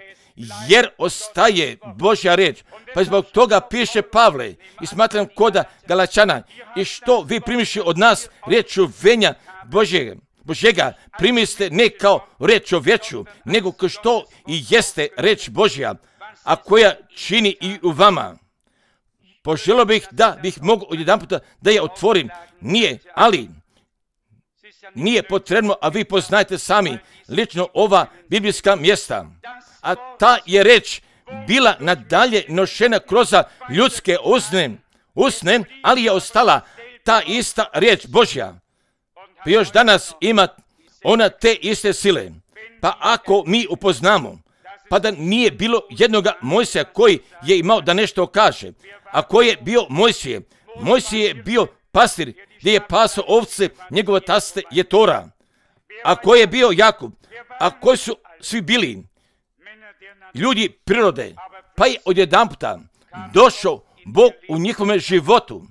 jer ostaje Božja riječ. Pa zbog toga piše Pavle i smatram koda Galačana, i što vi primiši od nas riječ čuvenja Božjega, primiste ne kao riječ čovječu, nego kao što i jeste riječ Božja, a koja čini i u vama. Poželio bih da bih mogao odjedanputa da je otvorim. Nije potrebno, a vi poznajete sami lično ova biblijska mjesta. A ta je reč bila nadalje nošena kroz ljudske usne, ali je ostala ta ista riječ Božja. Pa još danas ima ona te iste sile. Pa ako mi upoznamo, pa da nije bilo jednoga Mojsija koji je imao da nešto kaže, a koji je bio Mojsije? Mojsije je bio pastir gdje je pasao ovce, njegova taste je Tora. A koji je bio Jakub? A koji su svi bili? Ljudi prirode. Pa je odjedanputa došao Bog u njihovom životu.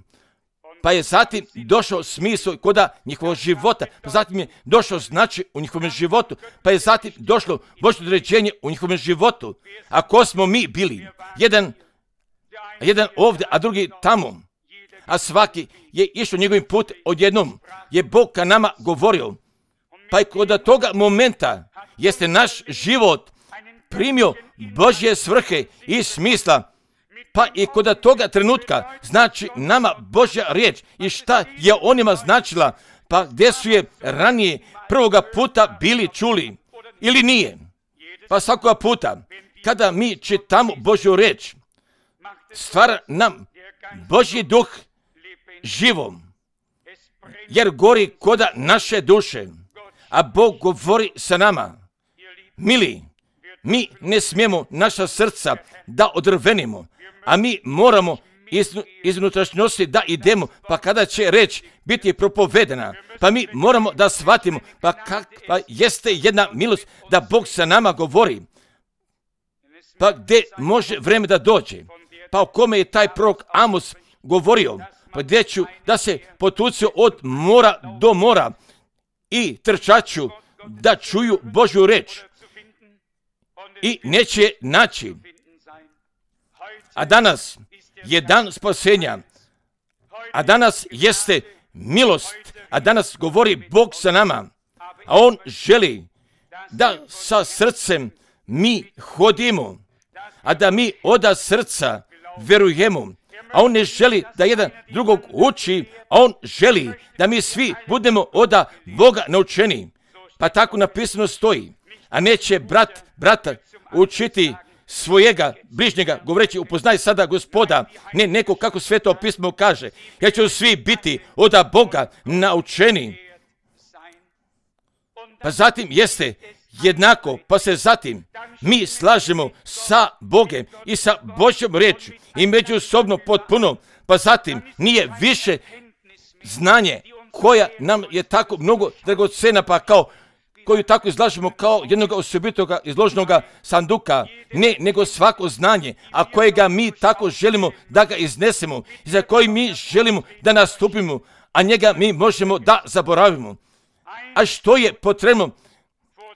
Pa je zatim došao smisao koda njihovog života. Pa zatim je došao znači u njihovom životu. Pa je zatim došlo Božje određenje u njihovom životu. A ko smo mi bili? Jedan ovdje, a drugi tamo. A svaki je išao njegovim put, odjednom je Bog ka nama govorio. Pa i kod toga momenta jeste naš život primio Božje svrhe i smisla. Pa i kod toga trenutka znači nama Božja riječ i šta je onima značila, pa gdje su je ranije prvoga puta bili čuli ili nije. Pa svakoga puta kada mi čitamo Božju riječ, stvara nam Božji duh živom, jer gori koda naše duše, a Bog govori sa nama. Mili, mi ne smijemo naša srca da odrvenimo, a mi moramo iz unutrašnjosti da idemo, pa kada će reč biti propovedena, pa mi moramo da shvatimo, pa kakva jeste jedna milost da Bog sa nama govori, pa gdje može vreme da dođe, pa o kome je taj prorok Amos govorio, pa gdje ću da se potucio od mora do mora i trčaću da čuju Božju reč i neće je naći. A danas je dan spasenja, a danas jeste milost, a danas govori Bog sa nama, a On želi da sa srcem mi hodimo, a da mi od srca verujemo, a On ne želi da jedan drugog uči, a On želi da mi svi budemo od Boga naučeni. Pa tako napisano stoji, a neće brata učiti svojega bližnjega, govoreći upoznaj sada Gospoda, ne neko kako Sveto pismo kaže, jer će svi biti od Boga naučeni. Pa zatim jeste jednako, pa se zatim mi slažemo sa Bogem i sa Božjom riječi i međusobno potpuno, pa zatim nije više znanje koja nam je tako mnogo dragocena, pa kao koju tako izlažemo kao jednog osobitoga izloženoga sanduka, ne, nego svako znanje, a kojega mi tako želimo da ga iznesemo i za koji mi želimo da nastupimo, a njega mi možemo da zaboravimo. A što je potrebno?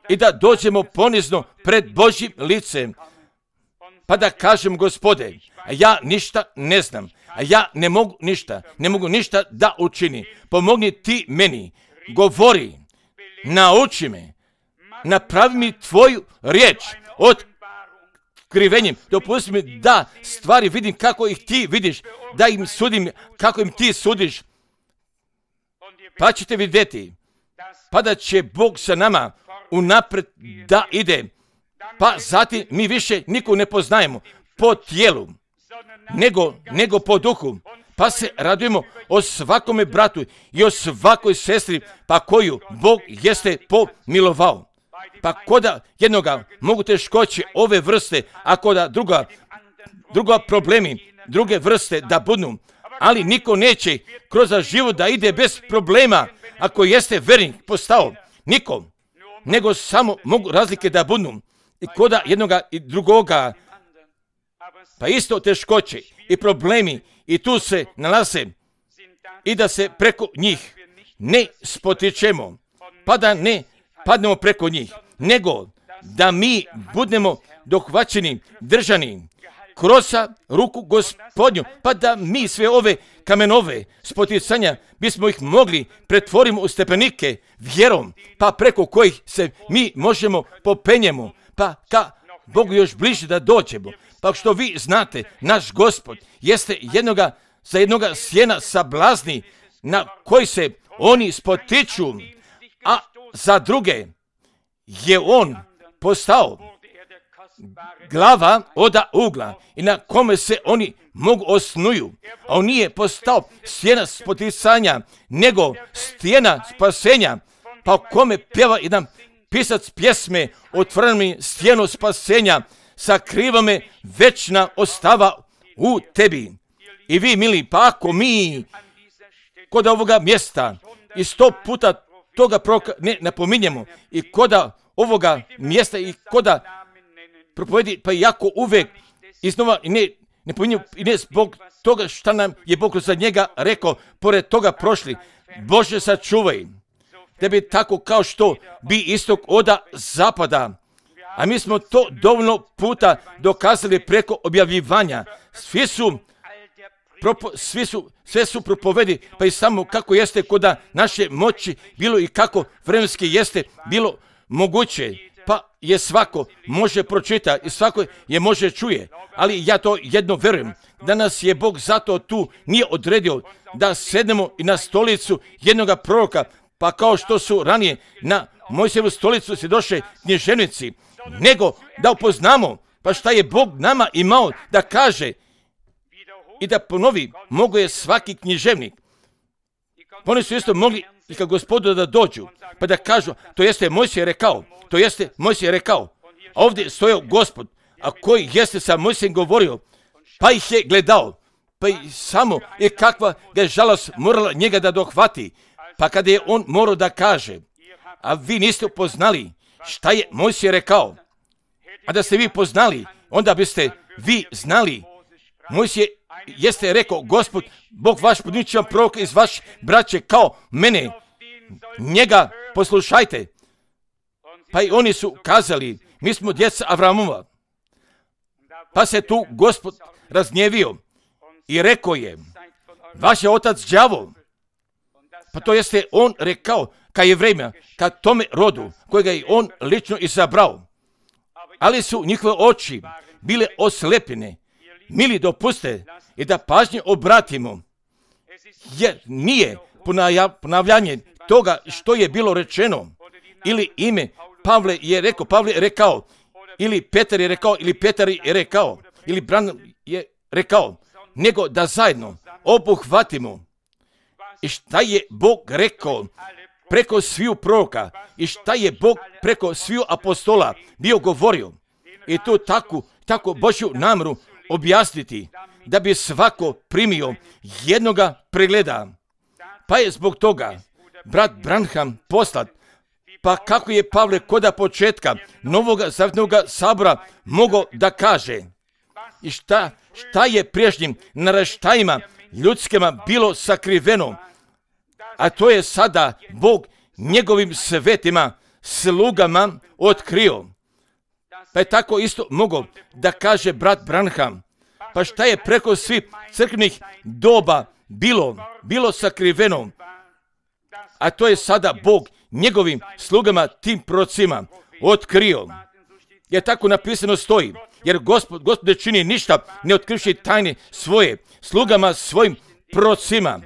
I da dođemo ponizno pred Božjim licem, pa da kažem Gospode, a ja ništa ne znam, a ja ne mogu ništa da učini. Pomogni ti meni, govori, nauči me, napravi mi tvoju riječ, skrivenjem. Dopusti mi da stvari vidim kako ih ti vidiš, da im sudim kako im ti sudiš. Pa ćete vidjeti, pa da će Bog sa nama unaprijed da ide. Pa zatim mi više nikog ne poznajemo po tijelu, nego po duhu. Pa se radujemo o svakome bratu i o svakoj sestri, pa koju Bog jeste pomilovao. Pa koda jednoga mogu teškoće ove vrste, a koda druga problemi, druge vrste da budu. Ali niko neće kroz život da ide bez problema, ako jeste vernik postao. Niko. Nego samo mogu razlike da budu. I koda jednoga i drugoga. Pa isto teškoće i problemi i tu se nalaze. I da se preko njih ne spotičemo. Pa da ne padnemo preko njih. Nego da mi budemo dohvaćeni, držani kroz ruku Gospodnju, pa da mi sve ove kamenove spoticanja bismo ih mogli pretvorimo u stepenike vjerom, pa preko kojih se mi možemo popenjemo, pa ka Bogu još bliže da dođemo. Pa što vi znate, naš Gospod jeste za jednoga sjena sablazni na koji se oni spotiču, a za druge je on postao glava oda ugla i na kome se oni mogu osnuju. A on nije postao stijena spoticanja, nego stijena spasenja, pa o kome pjeva jedan pisac pjesme otvoreni stijenu spasenja, sakriva me večna ostava u tebi. I vi, mili, pa ako mi kod ovoga mjesta i 100 puta toga proroka ne napominjemo i koda ovoga mjesta i koda propovedi, pa jako uvek iznova i ne pominjemo i ne zbog toga šta nam je Bog za njega rekao, pored toga prošli. Bože, sačuvaj, da bi tako kao što bi istok oda zapada. A mi smo to dovoljno puta dokazali preko objavljivanja. Sve su propovedi, pa i samo kako jeste koda naše moći bilo i kako vremenski jeste bilo moguće. Pa je svako može pročita i svako je može čuje. Ali ja to jedno verujem, da nas je Bog zato tu nije odredio da sednemo i na stolicu jednoga proroka, pa kao što su ranije na Mojsijevu stolicu se došle književnici, nego da upoznamo pa šta je Bog nama imao da kaže i da ponovi. Mogu je svaki književnik. Oni su isto mogli i kad Gospodu da dođu, pa da kažu, to jeste Mojsije rekao, a ovdje stojao Gospod, a koji jeste sa Mojsijem govorio, pa ih je gledao, pa i samo i kakva ga je žalost morala njega da dohvati, pa kada je on morao da kaže, a vi niste upoznali šta je Mojsije rekao, a da ste vi poznali, onda biste vi znali. Mojsije jeste rekao, Gospod, Bog vaš podničan prorok iz vaš braće kao mene, njega poslušajte. Pa i oni su kazali, mi smo djeca Avramova. Pa se tu Gospod razgnjevio i rekao je, vaš je otac đavol. Pa to jeste on rekao ka Jevrejima, ka tome rodu kojega je on lično izabrao. Ali su njihove oči bile oslepljene. Mili, dopuste i da pažnje obratimo, jer nije ponavljanje toga što je bilo rečeno, ili ime Pavle je rekao, ili Petar je rekao, ili Petar je rekao, ili Branham je rekao, nego da zajedno obuhvatimo i šta je Bog rekao preko sviju proroka i šta je Bog preko sviju apostola bio govorio. I to tako Božju namjeru objasniti, da bi svako primio jednoga pregleda. Pa je zbog toga brat Branham poslat, pa kako je Pavle koda početka Novoga zavjetnoga sabora mogao da kaže i šta je prijašnjim naraštajima ljudskima bilo sakriveno, a to je sada Bog njegovim svetima, slugama otkrio. Pa je tako isto mogao da kaže brat Branham, pa šta je preko svih crkvenih doba bilo sakriveno, a to je sada Bog njegovim slugama, tim prorocima, otkrio. Jer tako napisano stoji, jer Gospod ne čini ništa, ne otkrivši tajne svoje, slugama svojim prorocima.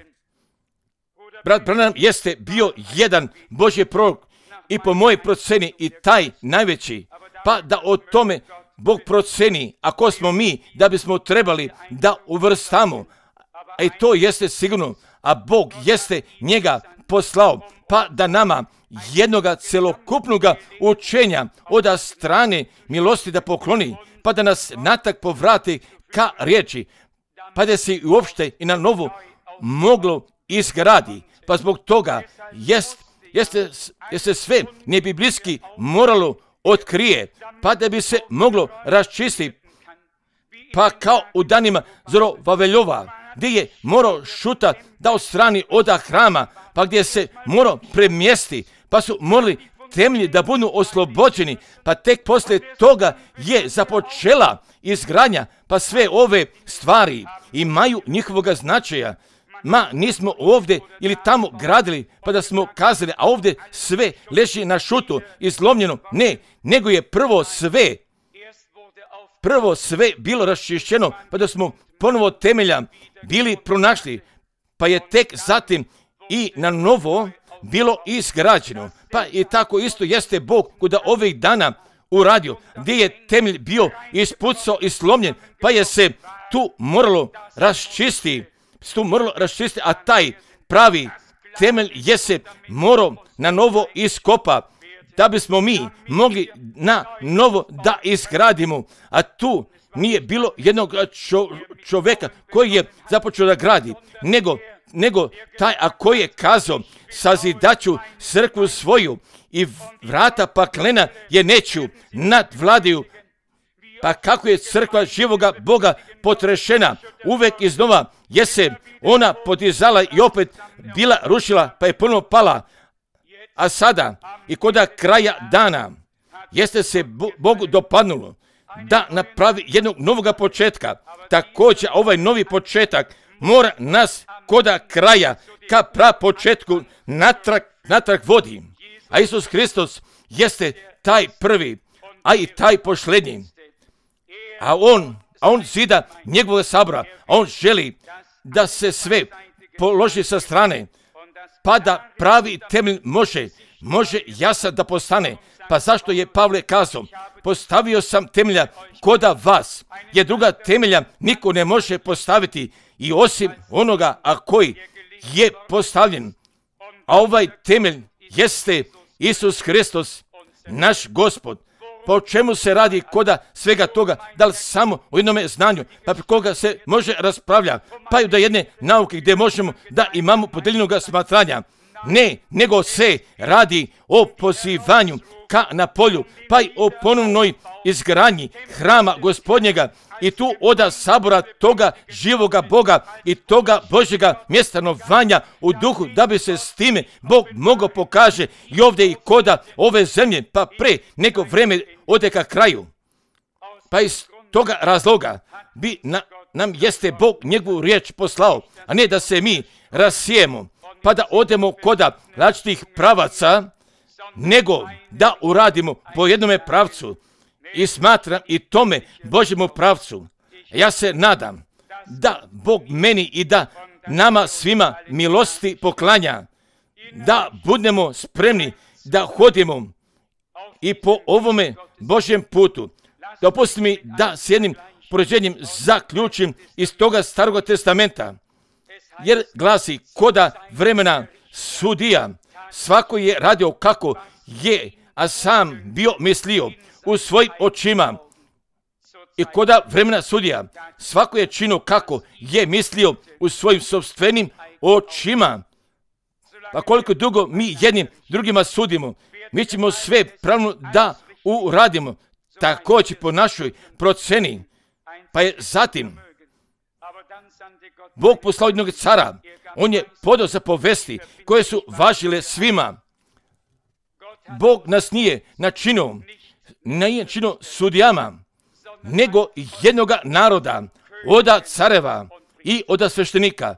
Brat Branham jeste bio jedan Božji prorok i po mojoj proceni i taj najveći, pa da o tome Bog proceni, ako smo mi, da bismo trebali da uvrstamo, a i to jeste sigurno, a Bog jeste njega poslao, pa da nama jednoga celokupnoga učenja od strane milosti da pokloni, pa da nas natak povrati ka riječi, pa da se uopšte i na novo moglo izgradi. Pa zbog toga jeste sve nebiblijski moralo otkrije, pa da bi se moglo raščistiti, pa kao u danima Zorovaveljova, gdje je morao šuta da odstrani od hrama, pa gdje se morao premjesti, pa su morali temelji da budu oslobođeni, pa tek poslije toga je započela izgradnja, pa sve ove stvari imaju njihovoga značaja. Nismo ovdje ili tamo gradili, pa da smo kazali, a ovdje sve leži na šutu i slomljeno. Ne, nego je prvo sve bilo raščišćeno, pa da smo ponovo temelja bili pronašli, pa je tek zatim i na novo bilo izgrađeno. Pa i tako isto jeste Bog kuda ovih dana uradio, gdje je temelj bio ispucao i slomljen, pa je se tu moralo raščistiti, a taj pravi temelj je se morao na novo iskopa, da bismo mi mogli na novo da izgradimo, a tu nije bilo jednog čovjeka koji je započeo da gradi, nego taj koji je kazao, sazidaću crkvu svoju i vrata paklena je neću nadvladaju. Pa kako je crkva živoga Boga potrešena, uvek iznova je se ona podizala i opet bila rušila, pa je ponovno pala. A sada i koda kraja dana jeste se Bogu dopadnulo da napravi jednog novoga početka. Također ovaj novi početak mora nas koda kraja ka prapočetku natrag vodi. A Isus Hristos jeste taj prvi, a i taj posljednji. A on zida njegovog sabora, a on želi da se sve položi sa strane, pa da pravi temelj može jasan da postane. Pa zašto je Pavle kazao, postavio sam temelja koda vas, jer druga temelja niko ne može postaviti i osim onoga koji je postavljen. A ovaj temelj jeste Isus Hristos, naš Gospod. Pa o čemu se radi koda svega toga? Da li samo o jednome znanju, pa pri koga se može raspravlja, pa i do jedne nauke gdje možemo da imamo podeljenog smatranja? Ne, nego se radi o pozivanju ka na polju, pa i o ponovnoj izgradnji hrama Gospodnjega i tu oda sabora toga živoga Boga i toga Božjega mjestanovanja u duhu, da bi se s time Bog mogao pokaže i ovdje i koda ove zemlje, pa pre nego vreme ode ka kraju. Pa iz toga razloga bi nam jeste Bog njegovu riječ poslao, a ne da se mi rasijemo, pa da odemo koda različitih pravaca, nego da uradimo po jednome pravcu. I smatram i tome Božjemu pravcu. Ja se nadam da Bog meni i da nama svima milosti poklanja, da budemo spremni da hodimo i po ovome Božjem putu. Dopusti mi da s jednim poređenjem zaključim iz toga Starog testamenta, jer glasi koda vremena sudija, svako je radio kako je, a sam bio mislio u svojim očima. I koda vremena sudija, svako je činio kako je mislio u svojim sopstvenim očima. Pa koliko dugo mi jednim drugima sudimo, mi ćemo sve pravno da uradimo, također po našoj proceni. Pa je zatim Bog poslao jednog cara, on je podao zapovesti koje su važile svima. Bog nas nije načinio sudijama, nego jednoga naroda, oda careva i oda sveštenika.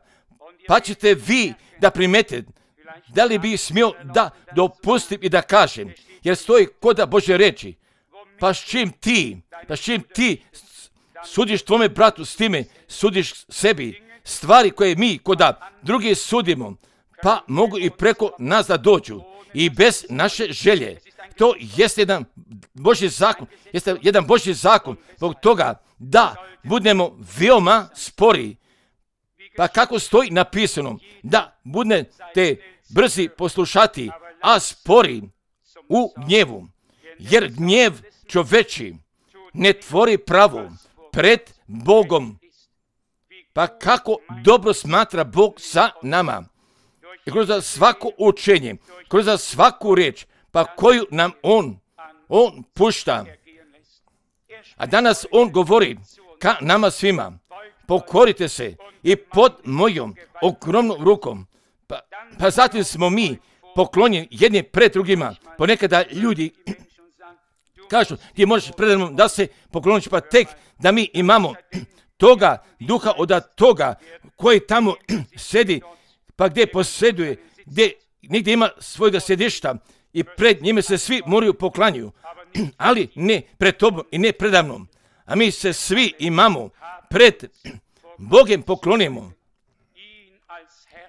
Pa ćete vi da primetite, da li bi smio da dopustim i da kažem, jer stoji koda Božje reči, Pa s čim ti sudiš tvome bratu, s time sudiš sebi. Stvari koje mi koda drugi sudimo, pa mogu i preko nas da dođu. I bez naše želje. To jeste jedan Božji zakon. Zbog toga da budemo veoma spori. Pa kako stoji napisano, da budete brzi poslušati, a spori u gnjevu. Jer gnjev čoveči ne tvori pravo pred Bogom. Pa kako dobro smatra Bog sa nama. I kroz svako učenje, kroz svaku riječ, pa koju nam On pušta. A danas On govori ka nama svima. Pokorite se i pod mojom ogromnom rukom. Pa zatim smo mi poklonjeni jedni pred drugima. Ponekada ljudi kažu, ti možeš predano da se pokloniš, pa tek da mi imamo toga duha od toga koji tamo sedi, pa gdje posjeduje, gdje nigdje ima svojega sjedišta i pred njime se svi moraju poklanjuju, ali ne pred tobom i ne predamnom. A mi se svi imamo pred Bogem poklonimo,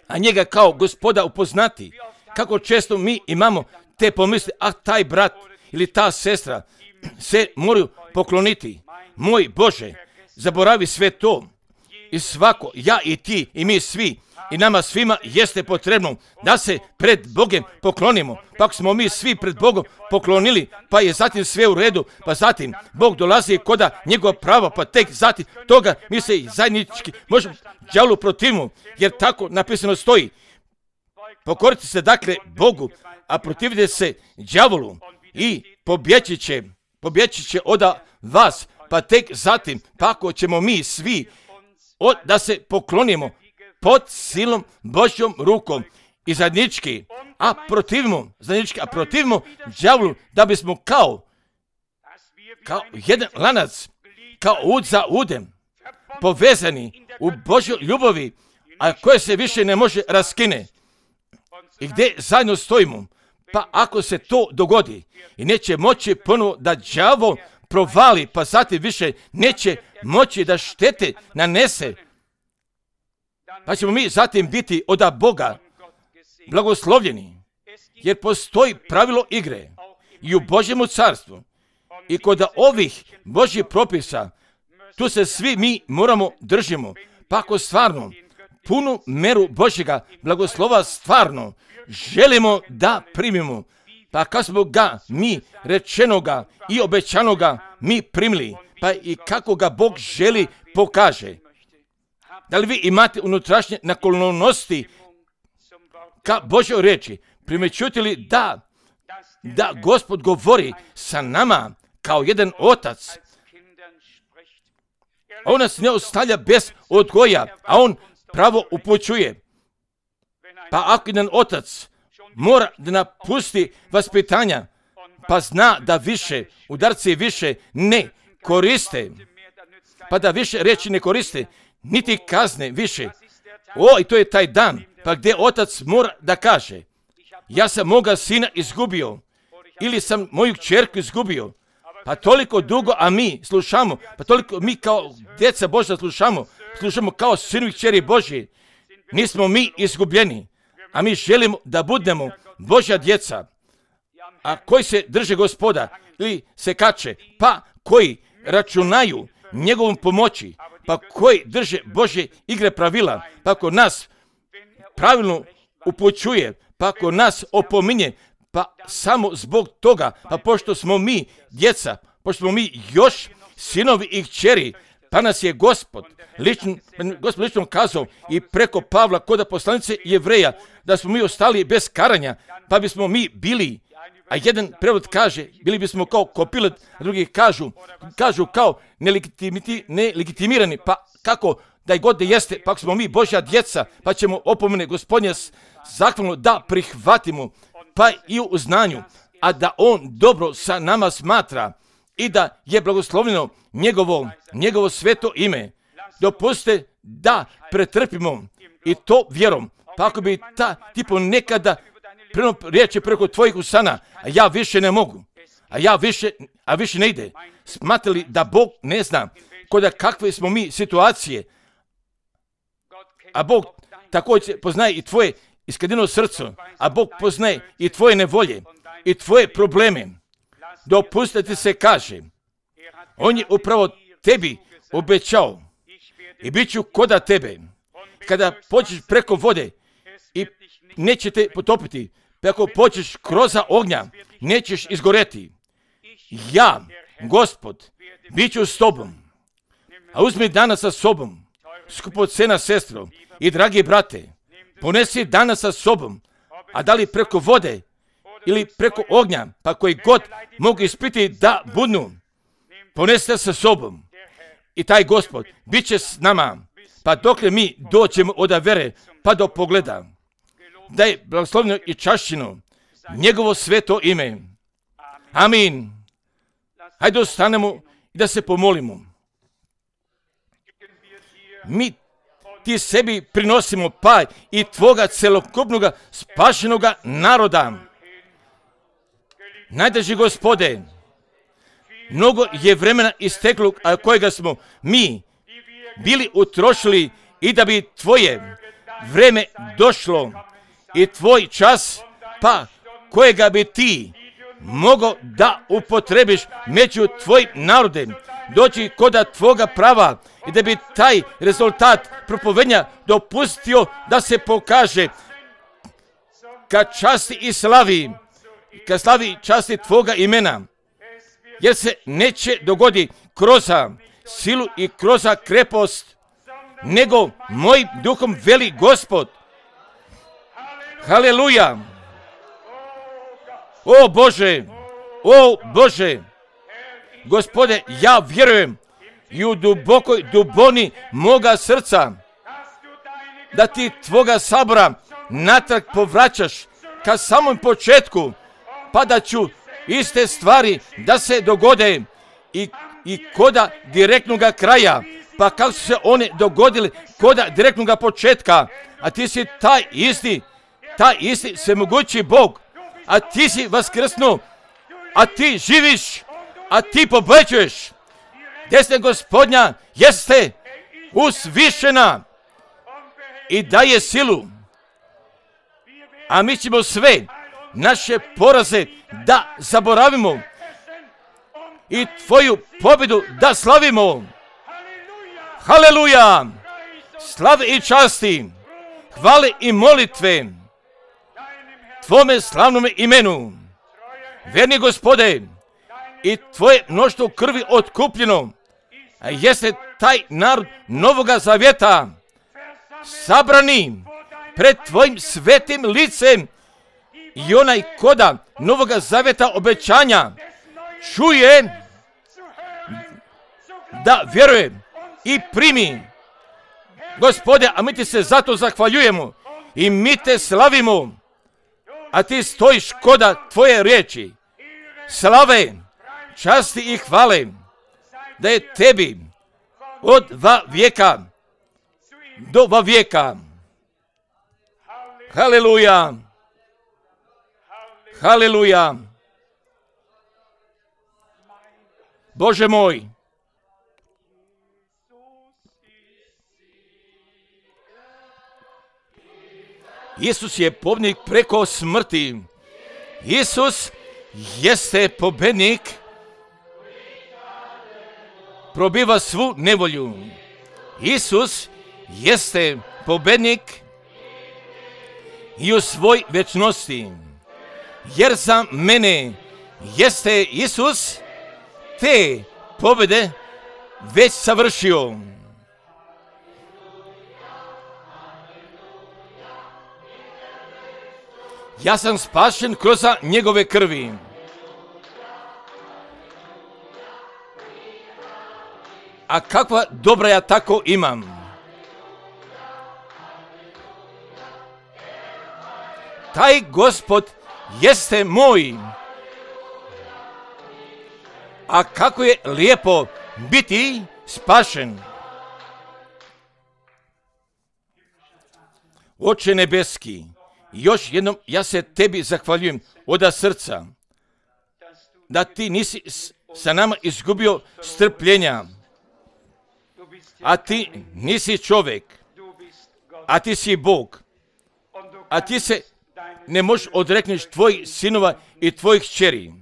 a njega kao Gospoda upoznati. Kako često mi imamo te pomisli, taj brat ili ta sestra se moraju pokloniti. Moj Bože, zaboravi sve to. I svako, ja i ti i mi svi, i nama svima jeste potrebno da se pred Bogem poklonimo. Pa ako smo mi svi pred Bogom poklonili, pa je zatim sve u redu, pa zatim Bog dolazi koda njegova prava, pa tek zatim toga mi se zajednički možemo đavolu protivimo, jer tako napisano stoji. Pokorite se dakle Bogu, a protivite se đavolu i pobjeći će od vas, pa tek zatim, pa ako ćemo mi svi da se poklonimo pod silom Božjom rukom i zajednički, a protivimo đavolu, da bismo kao jedan lanac, kao ud za udem, povezani u Božjoj ljubavi, a koje se više ne može raskine. I gdje zajedno stojimo, pa ako se to dogodi i neće moći ponovo da đavo provali, pa zatim više neće moći da štete nanese, pa ćemo mi zatim biti od Boga blagoslovljeni, jer postoji pravilo igre i u Božjemu carstvu i kod ovih Božjih propisa, tu se svi mi moramo držimo, pa ako stvarno punu meru Božjega blagoslova stvarno želimo da primimo, pa kad smo ga mi rečenoga i obećanoga mi primili, pa i kako ga Bog želi pokaže. Da li vi imate unutrašnje naklonosti ka Božjoj riječi? Primećujete li da Gospod govori sa nama kao jedan otac? On nas ne ostavlja bez odgoja, a on pravo upućuje. Pa ako jedan otac mora da napusti vaspitanja, pa zna da više udarci više ne koriste, pa da više reći ne koriste, niti kazne više. I to je taj dan, pa gdje otac mora da kaže, ja sam moga sina izgubio, ili sam moju kćerku izgubio, pa toliko dugo, a mi slušamo, pa toliko mi kao djeca Božja slušamo kao sinovi kćeri Božji, nismo mi izgubljeni, a mi želimo da budemo Božja djeca, a koji se drže Gospoda ili se kače, pa koji računaju njegovom pomoći, pa koji drže Božje igre pravila, pa ako nas pravilno upućuje, pa ako nas opominje, pa samo zbog toga, pa pošto smo mi djeca, pošto smo mi još sinovi i kćeri, pa nas je Gospod lično kazao i preko Pavla kod poslanice Jevreja da smo mi ostali bez karanja, pa bismo mi bili, a jedan prevod kaže, bili bismo kao kopilot, a drugi kažu kao nelegitimirani, pa kako da i god da jeste, pa ako smo mi Božja djeca, pa ćemo opomene Gospodnje zahvalno da prihvatimo, pa i u znanju, a da On dobro sa nama smatra i da je blagoslovljeno njegovo sveto ime. Dopustite da pretrpimo i to vjerom, pa ako bi ti ponekada riječi preko tvojih usana, a ja više ne mogu. a više ne ide. Smatrali da Bog ne zna koda kakve smo mi situacije, a Bog također poznaje i tvoje iskadeno srce, a Bog poznaje i tvoje nevolje i tvoje probleme. Dopustiti se kaže, on je upravo tebi obećao i bit ću koda tebe. Kada pođeš preko vode i neće te potopiti, ako pođeš kroz ognja, nećeš izgoreti. Ja, Gospod, bit ću s tobom. A uzmi danas sa sobom, skupocena sestro i dragi brate, ponesi danas sa sobom, a da li preko vode ili preko ognja, pa koji god mogu ispiti da budnu, ponesite sa sobom. I taj Gospod bit će s nama, pa dokle mi dođemo od vere, pa do pogleda. Da je blagoslovljeno i čašćeno njegovo sveto ime. Amin. Hajde ostanemo i da se pomolimo. Mi ti sebi prinosimo pa i tvoga celokupnog spašenog naroda. Najdraži Gospode, mnogo je vremena isteklo, a kojega smo mi bili utrošili i da bi tvoje vreme došlo i tvoj čas, pa kojega bi ti mogao da upotrebiš među tvojim narodem, doći koda tvoga prava i da bi taj rezultat propovednja dopustio da se pokaže ka časti i slavi, ka slavi časti tvoga imena, jer se neće dogodi kroz silu i kroz krepost, nego mojim duhom veli Gospod. Haleluja! O Bože, Gospode, ja vjerujem i u dubokoj duboni moga srca da ti tvoga sabora natrag povraćaš ka samom početku, pa da ću iste stvari da se dogode i koda direktnog kraja, pa kako su se one dogodile koda direktnog početka, a ti si taj isti svemogući Bog, a ti si vaskrsnuo, a ti živiš, a ti pobeđuješ. Desna Gospodnja jeste usvišena i daje silu, a mi ćemo sve naše poraze da zaboravimo i tvoju pobjedu da slavimo. Haleluja! Slave i časti, hvale i molitve tvome slavnome imenu. Verni Gospode, i tvoje mnoštvo krvi otkupljeno, a jeste taj narod Novoga Zavjeta, sabrani pred tvojim svetim licem, i onaj koda Novoga Zavjeta obećanja čuje, da vjeruje i primi. Gospode, a mi ti se zato zahvaljujemo i mi te slavimo, a ti stojiš koda tvoje riječi. Slave, časti i hvale da je tebi od vijeka do vijeka. Haleluja! Haleluja! Bože moj, Isus je pobjednik preko smrti. Isus jeste pobjednik, probiva svu nevolju. Isus jeste pobjednik i u svoj večnosti. Jer za mene jeste Isus te pobjede već savršio. Ja sam spašen kroz njegove krvi. A kakva dobra ja tako imam. Taj Gospod jeste moj. A kako je lijepo biti spašen. Oče nebeski, još jednom ja se tebi zahvaljujem od srca, da ti nisi sa nama izgubio strpljenja, a ti nisi čovjek, a ti si Bog, a ti se ne možeš odrekneš tvojih sinova i tvojih kćeri,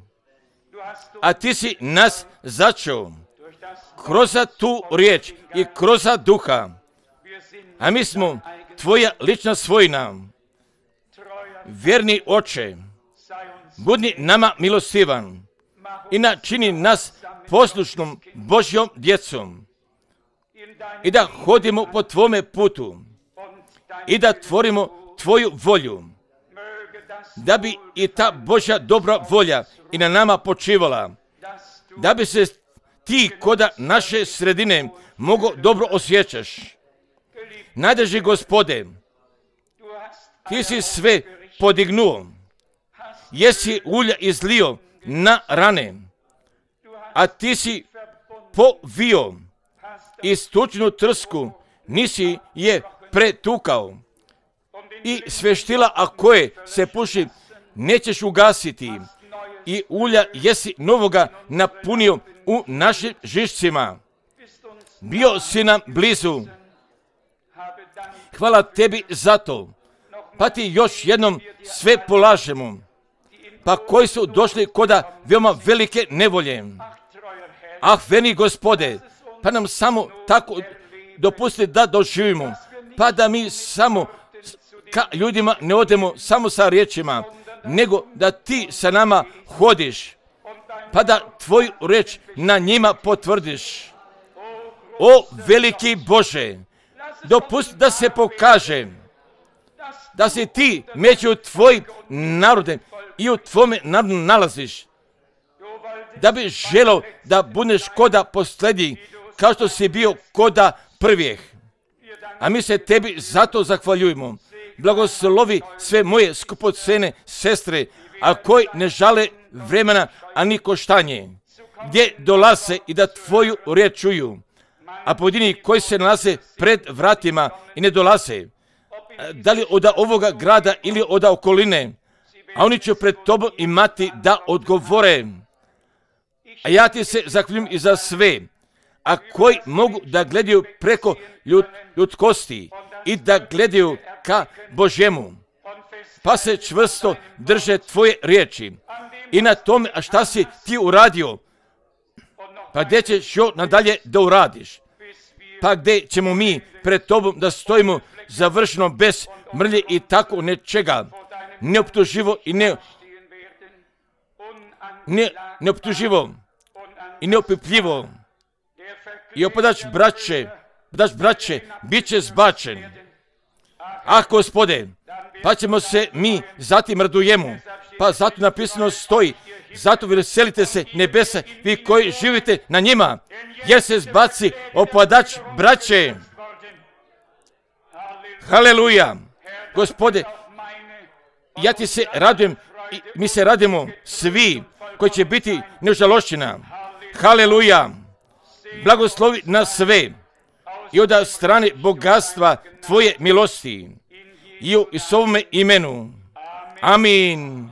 a ti si nas začeo kroz tu riječ i kroz duha, a mi smo tvoja lična svojina. Vjerni Oče, budi nama milostivan i načini nas poslušnom Božjom djecom i da hodimo po tvome putu i da tvorimo tvoju volju, da bi i ta Božja dobra volja i na nama počivala, da bi se ti koda naše sredine mogo dobro osjećaš. Najdraži Gospode, ti si sve podignuo, jesi ulja izlio na rane, a ti si povio i stučnu trsku, nisi je pretukao i sveštila, a koje se puši, nećeš ugasiti i ulja jesi novoga napunio u našim žišcima. Bio si nam blizu. Hvala tebi za to. Pa ti još jednom sve polažemo. Pa koji su došli koda veoma velike nevolje. Ah, veni Gospode, pa nam samo tako dopusti da doživimo. Pa da mi samo ka ljudima ne odemo samo sa riječima, nego da ti sa nama hodiš, pa da tvoju riječ na njima potvrdiš. O veliki Bože, dopusti da se pokaže da si ti među tvojim narodem i u tvome narodu nalaziš, da bi želao da budeš koda posljednji, kao što si bio koda prvijeh. A mi se tebi zato zahvaljujemo. Blagoslovi sve moje skupocene sestre, a koji ne žale vremena, ani koštanje, gdje dolaze i da tvoju riječ čuju, a pojedini koji se nalaze pred vratima i ne dolaze, da li od ovoga grada ili od okoline, a oni će pred tobom imati da odgovore. A ja ti se zahvaljujem i za sve, a koji mogu da gledaju preko ljudskosti i da gledaju ka Božjemu, pa se čvrsto drže tvoje riječi i na tome, a šta si ti uradio, pa gdje ćeš još nadalje da uradiš, pa gdje ćemo mi pred tobom da stojimo završeno bez mrlje i tako nečega, neoptuživo i neoptuživo i neopipljivo. I opadač braće, bit će zbačen. Ah, Gospode, pa ćemo se mi zatim radujemo, pa zato napisano stoji, zato veselite se nebesa, vi koji živite na njima, jer se zbaci opadač braće. Haleluja. Gospode, ja ti se radujem i mi se radimo svi koji će biti nežalošćina. Haleluja. Blagoslovi nas sve i od strane bogatstva tvoje milosti i u Isovome imenu. Amin.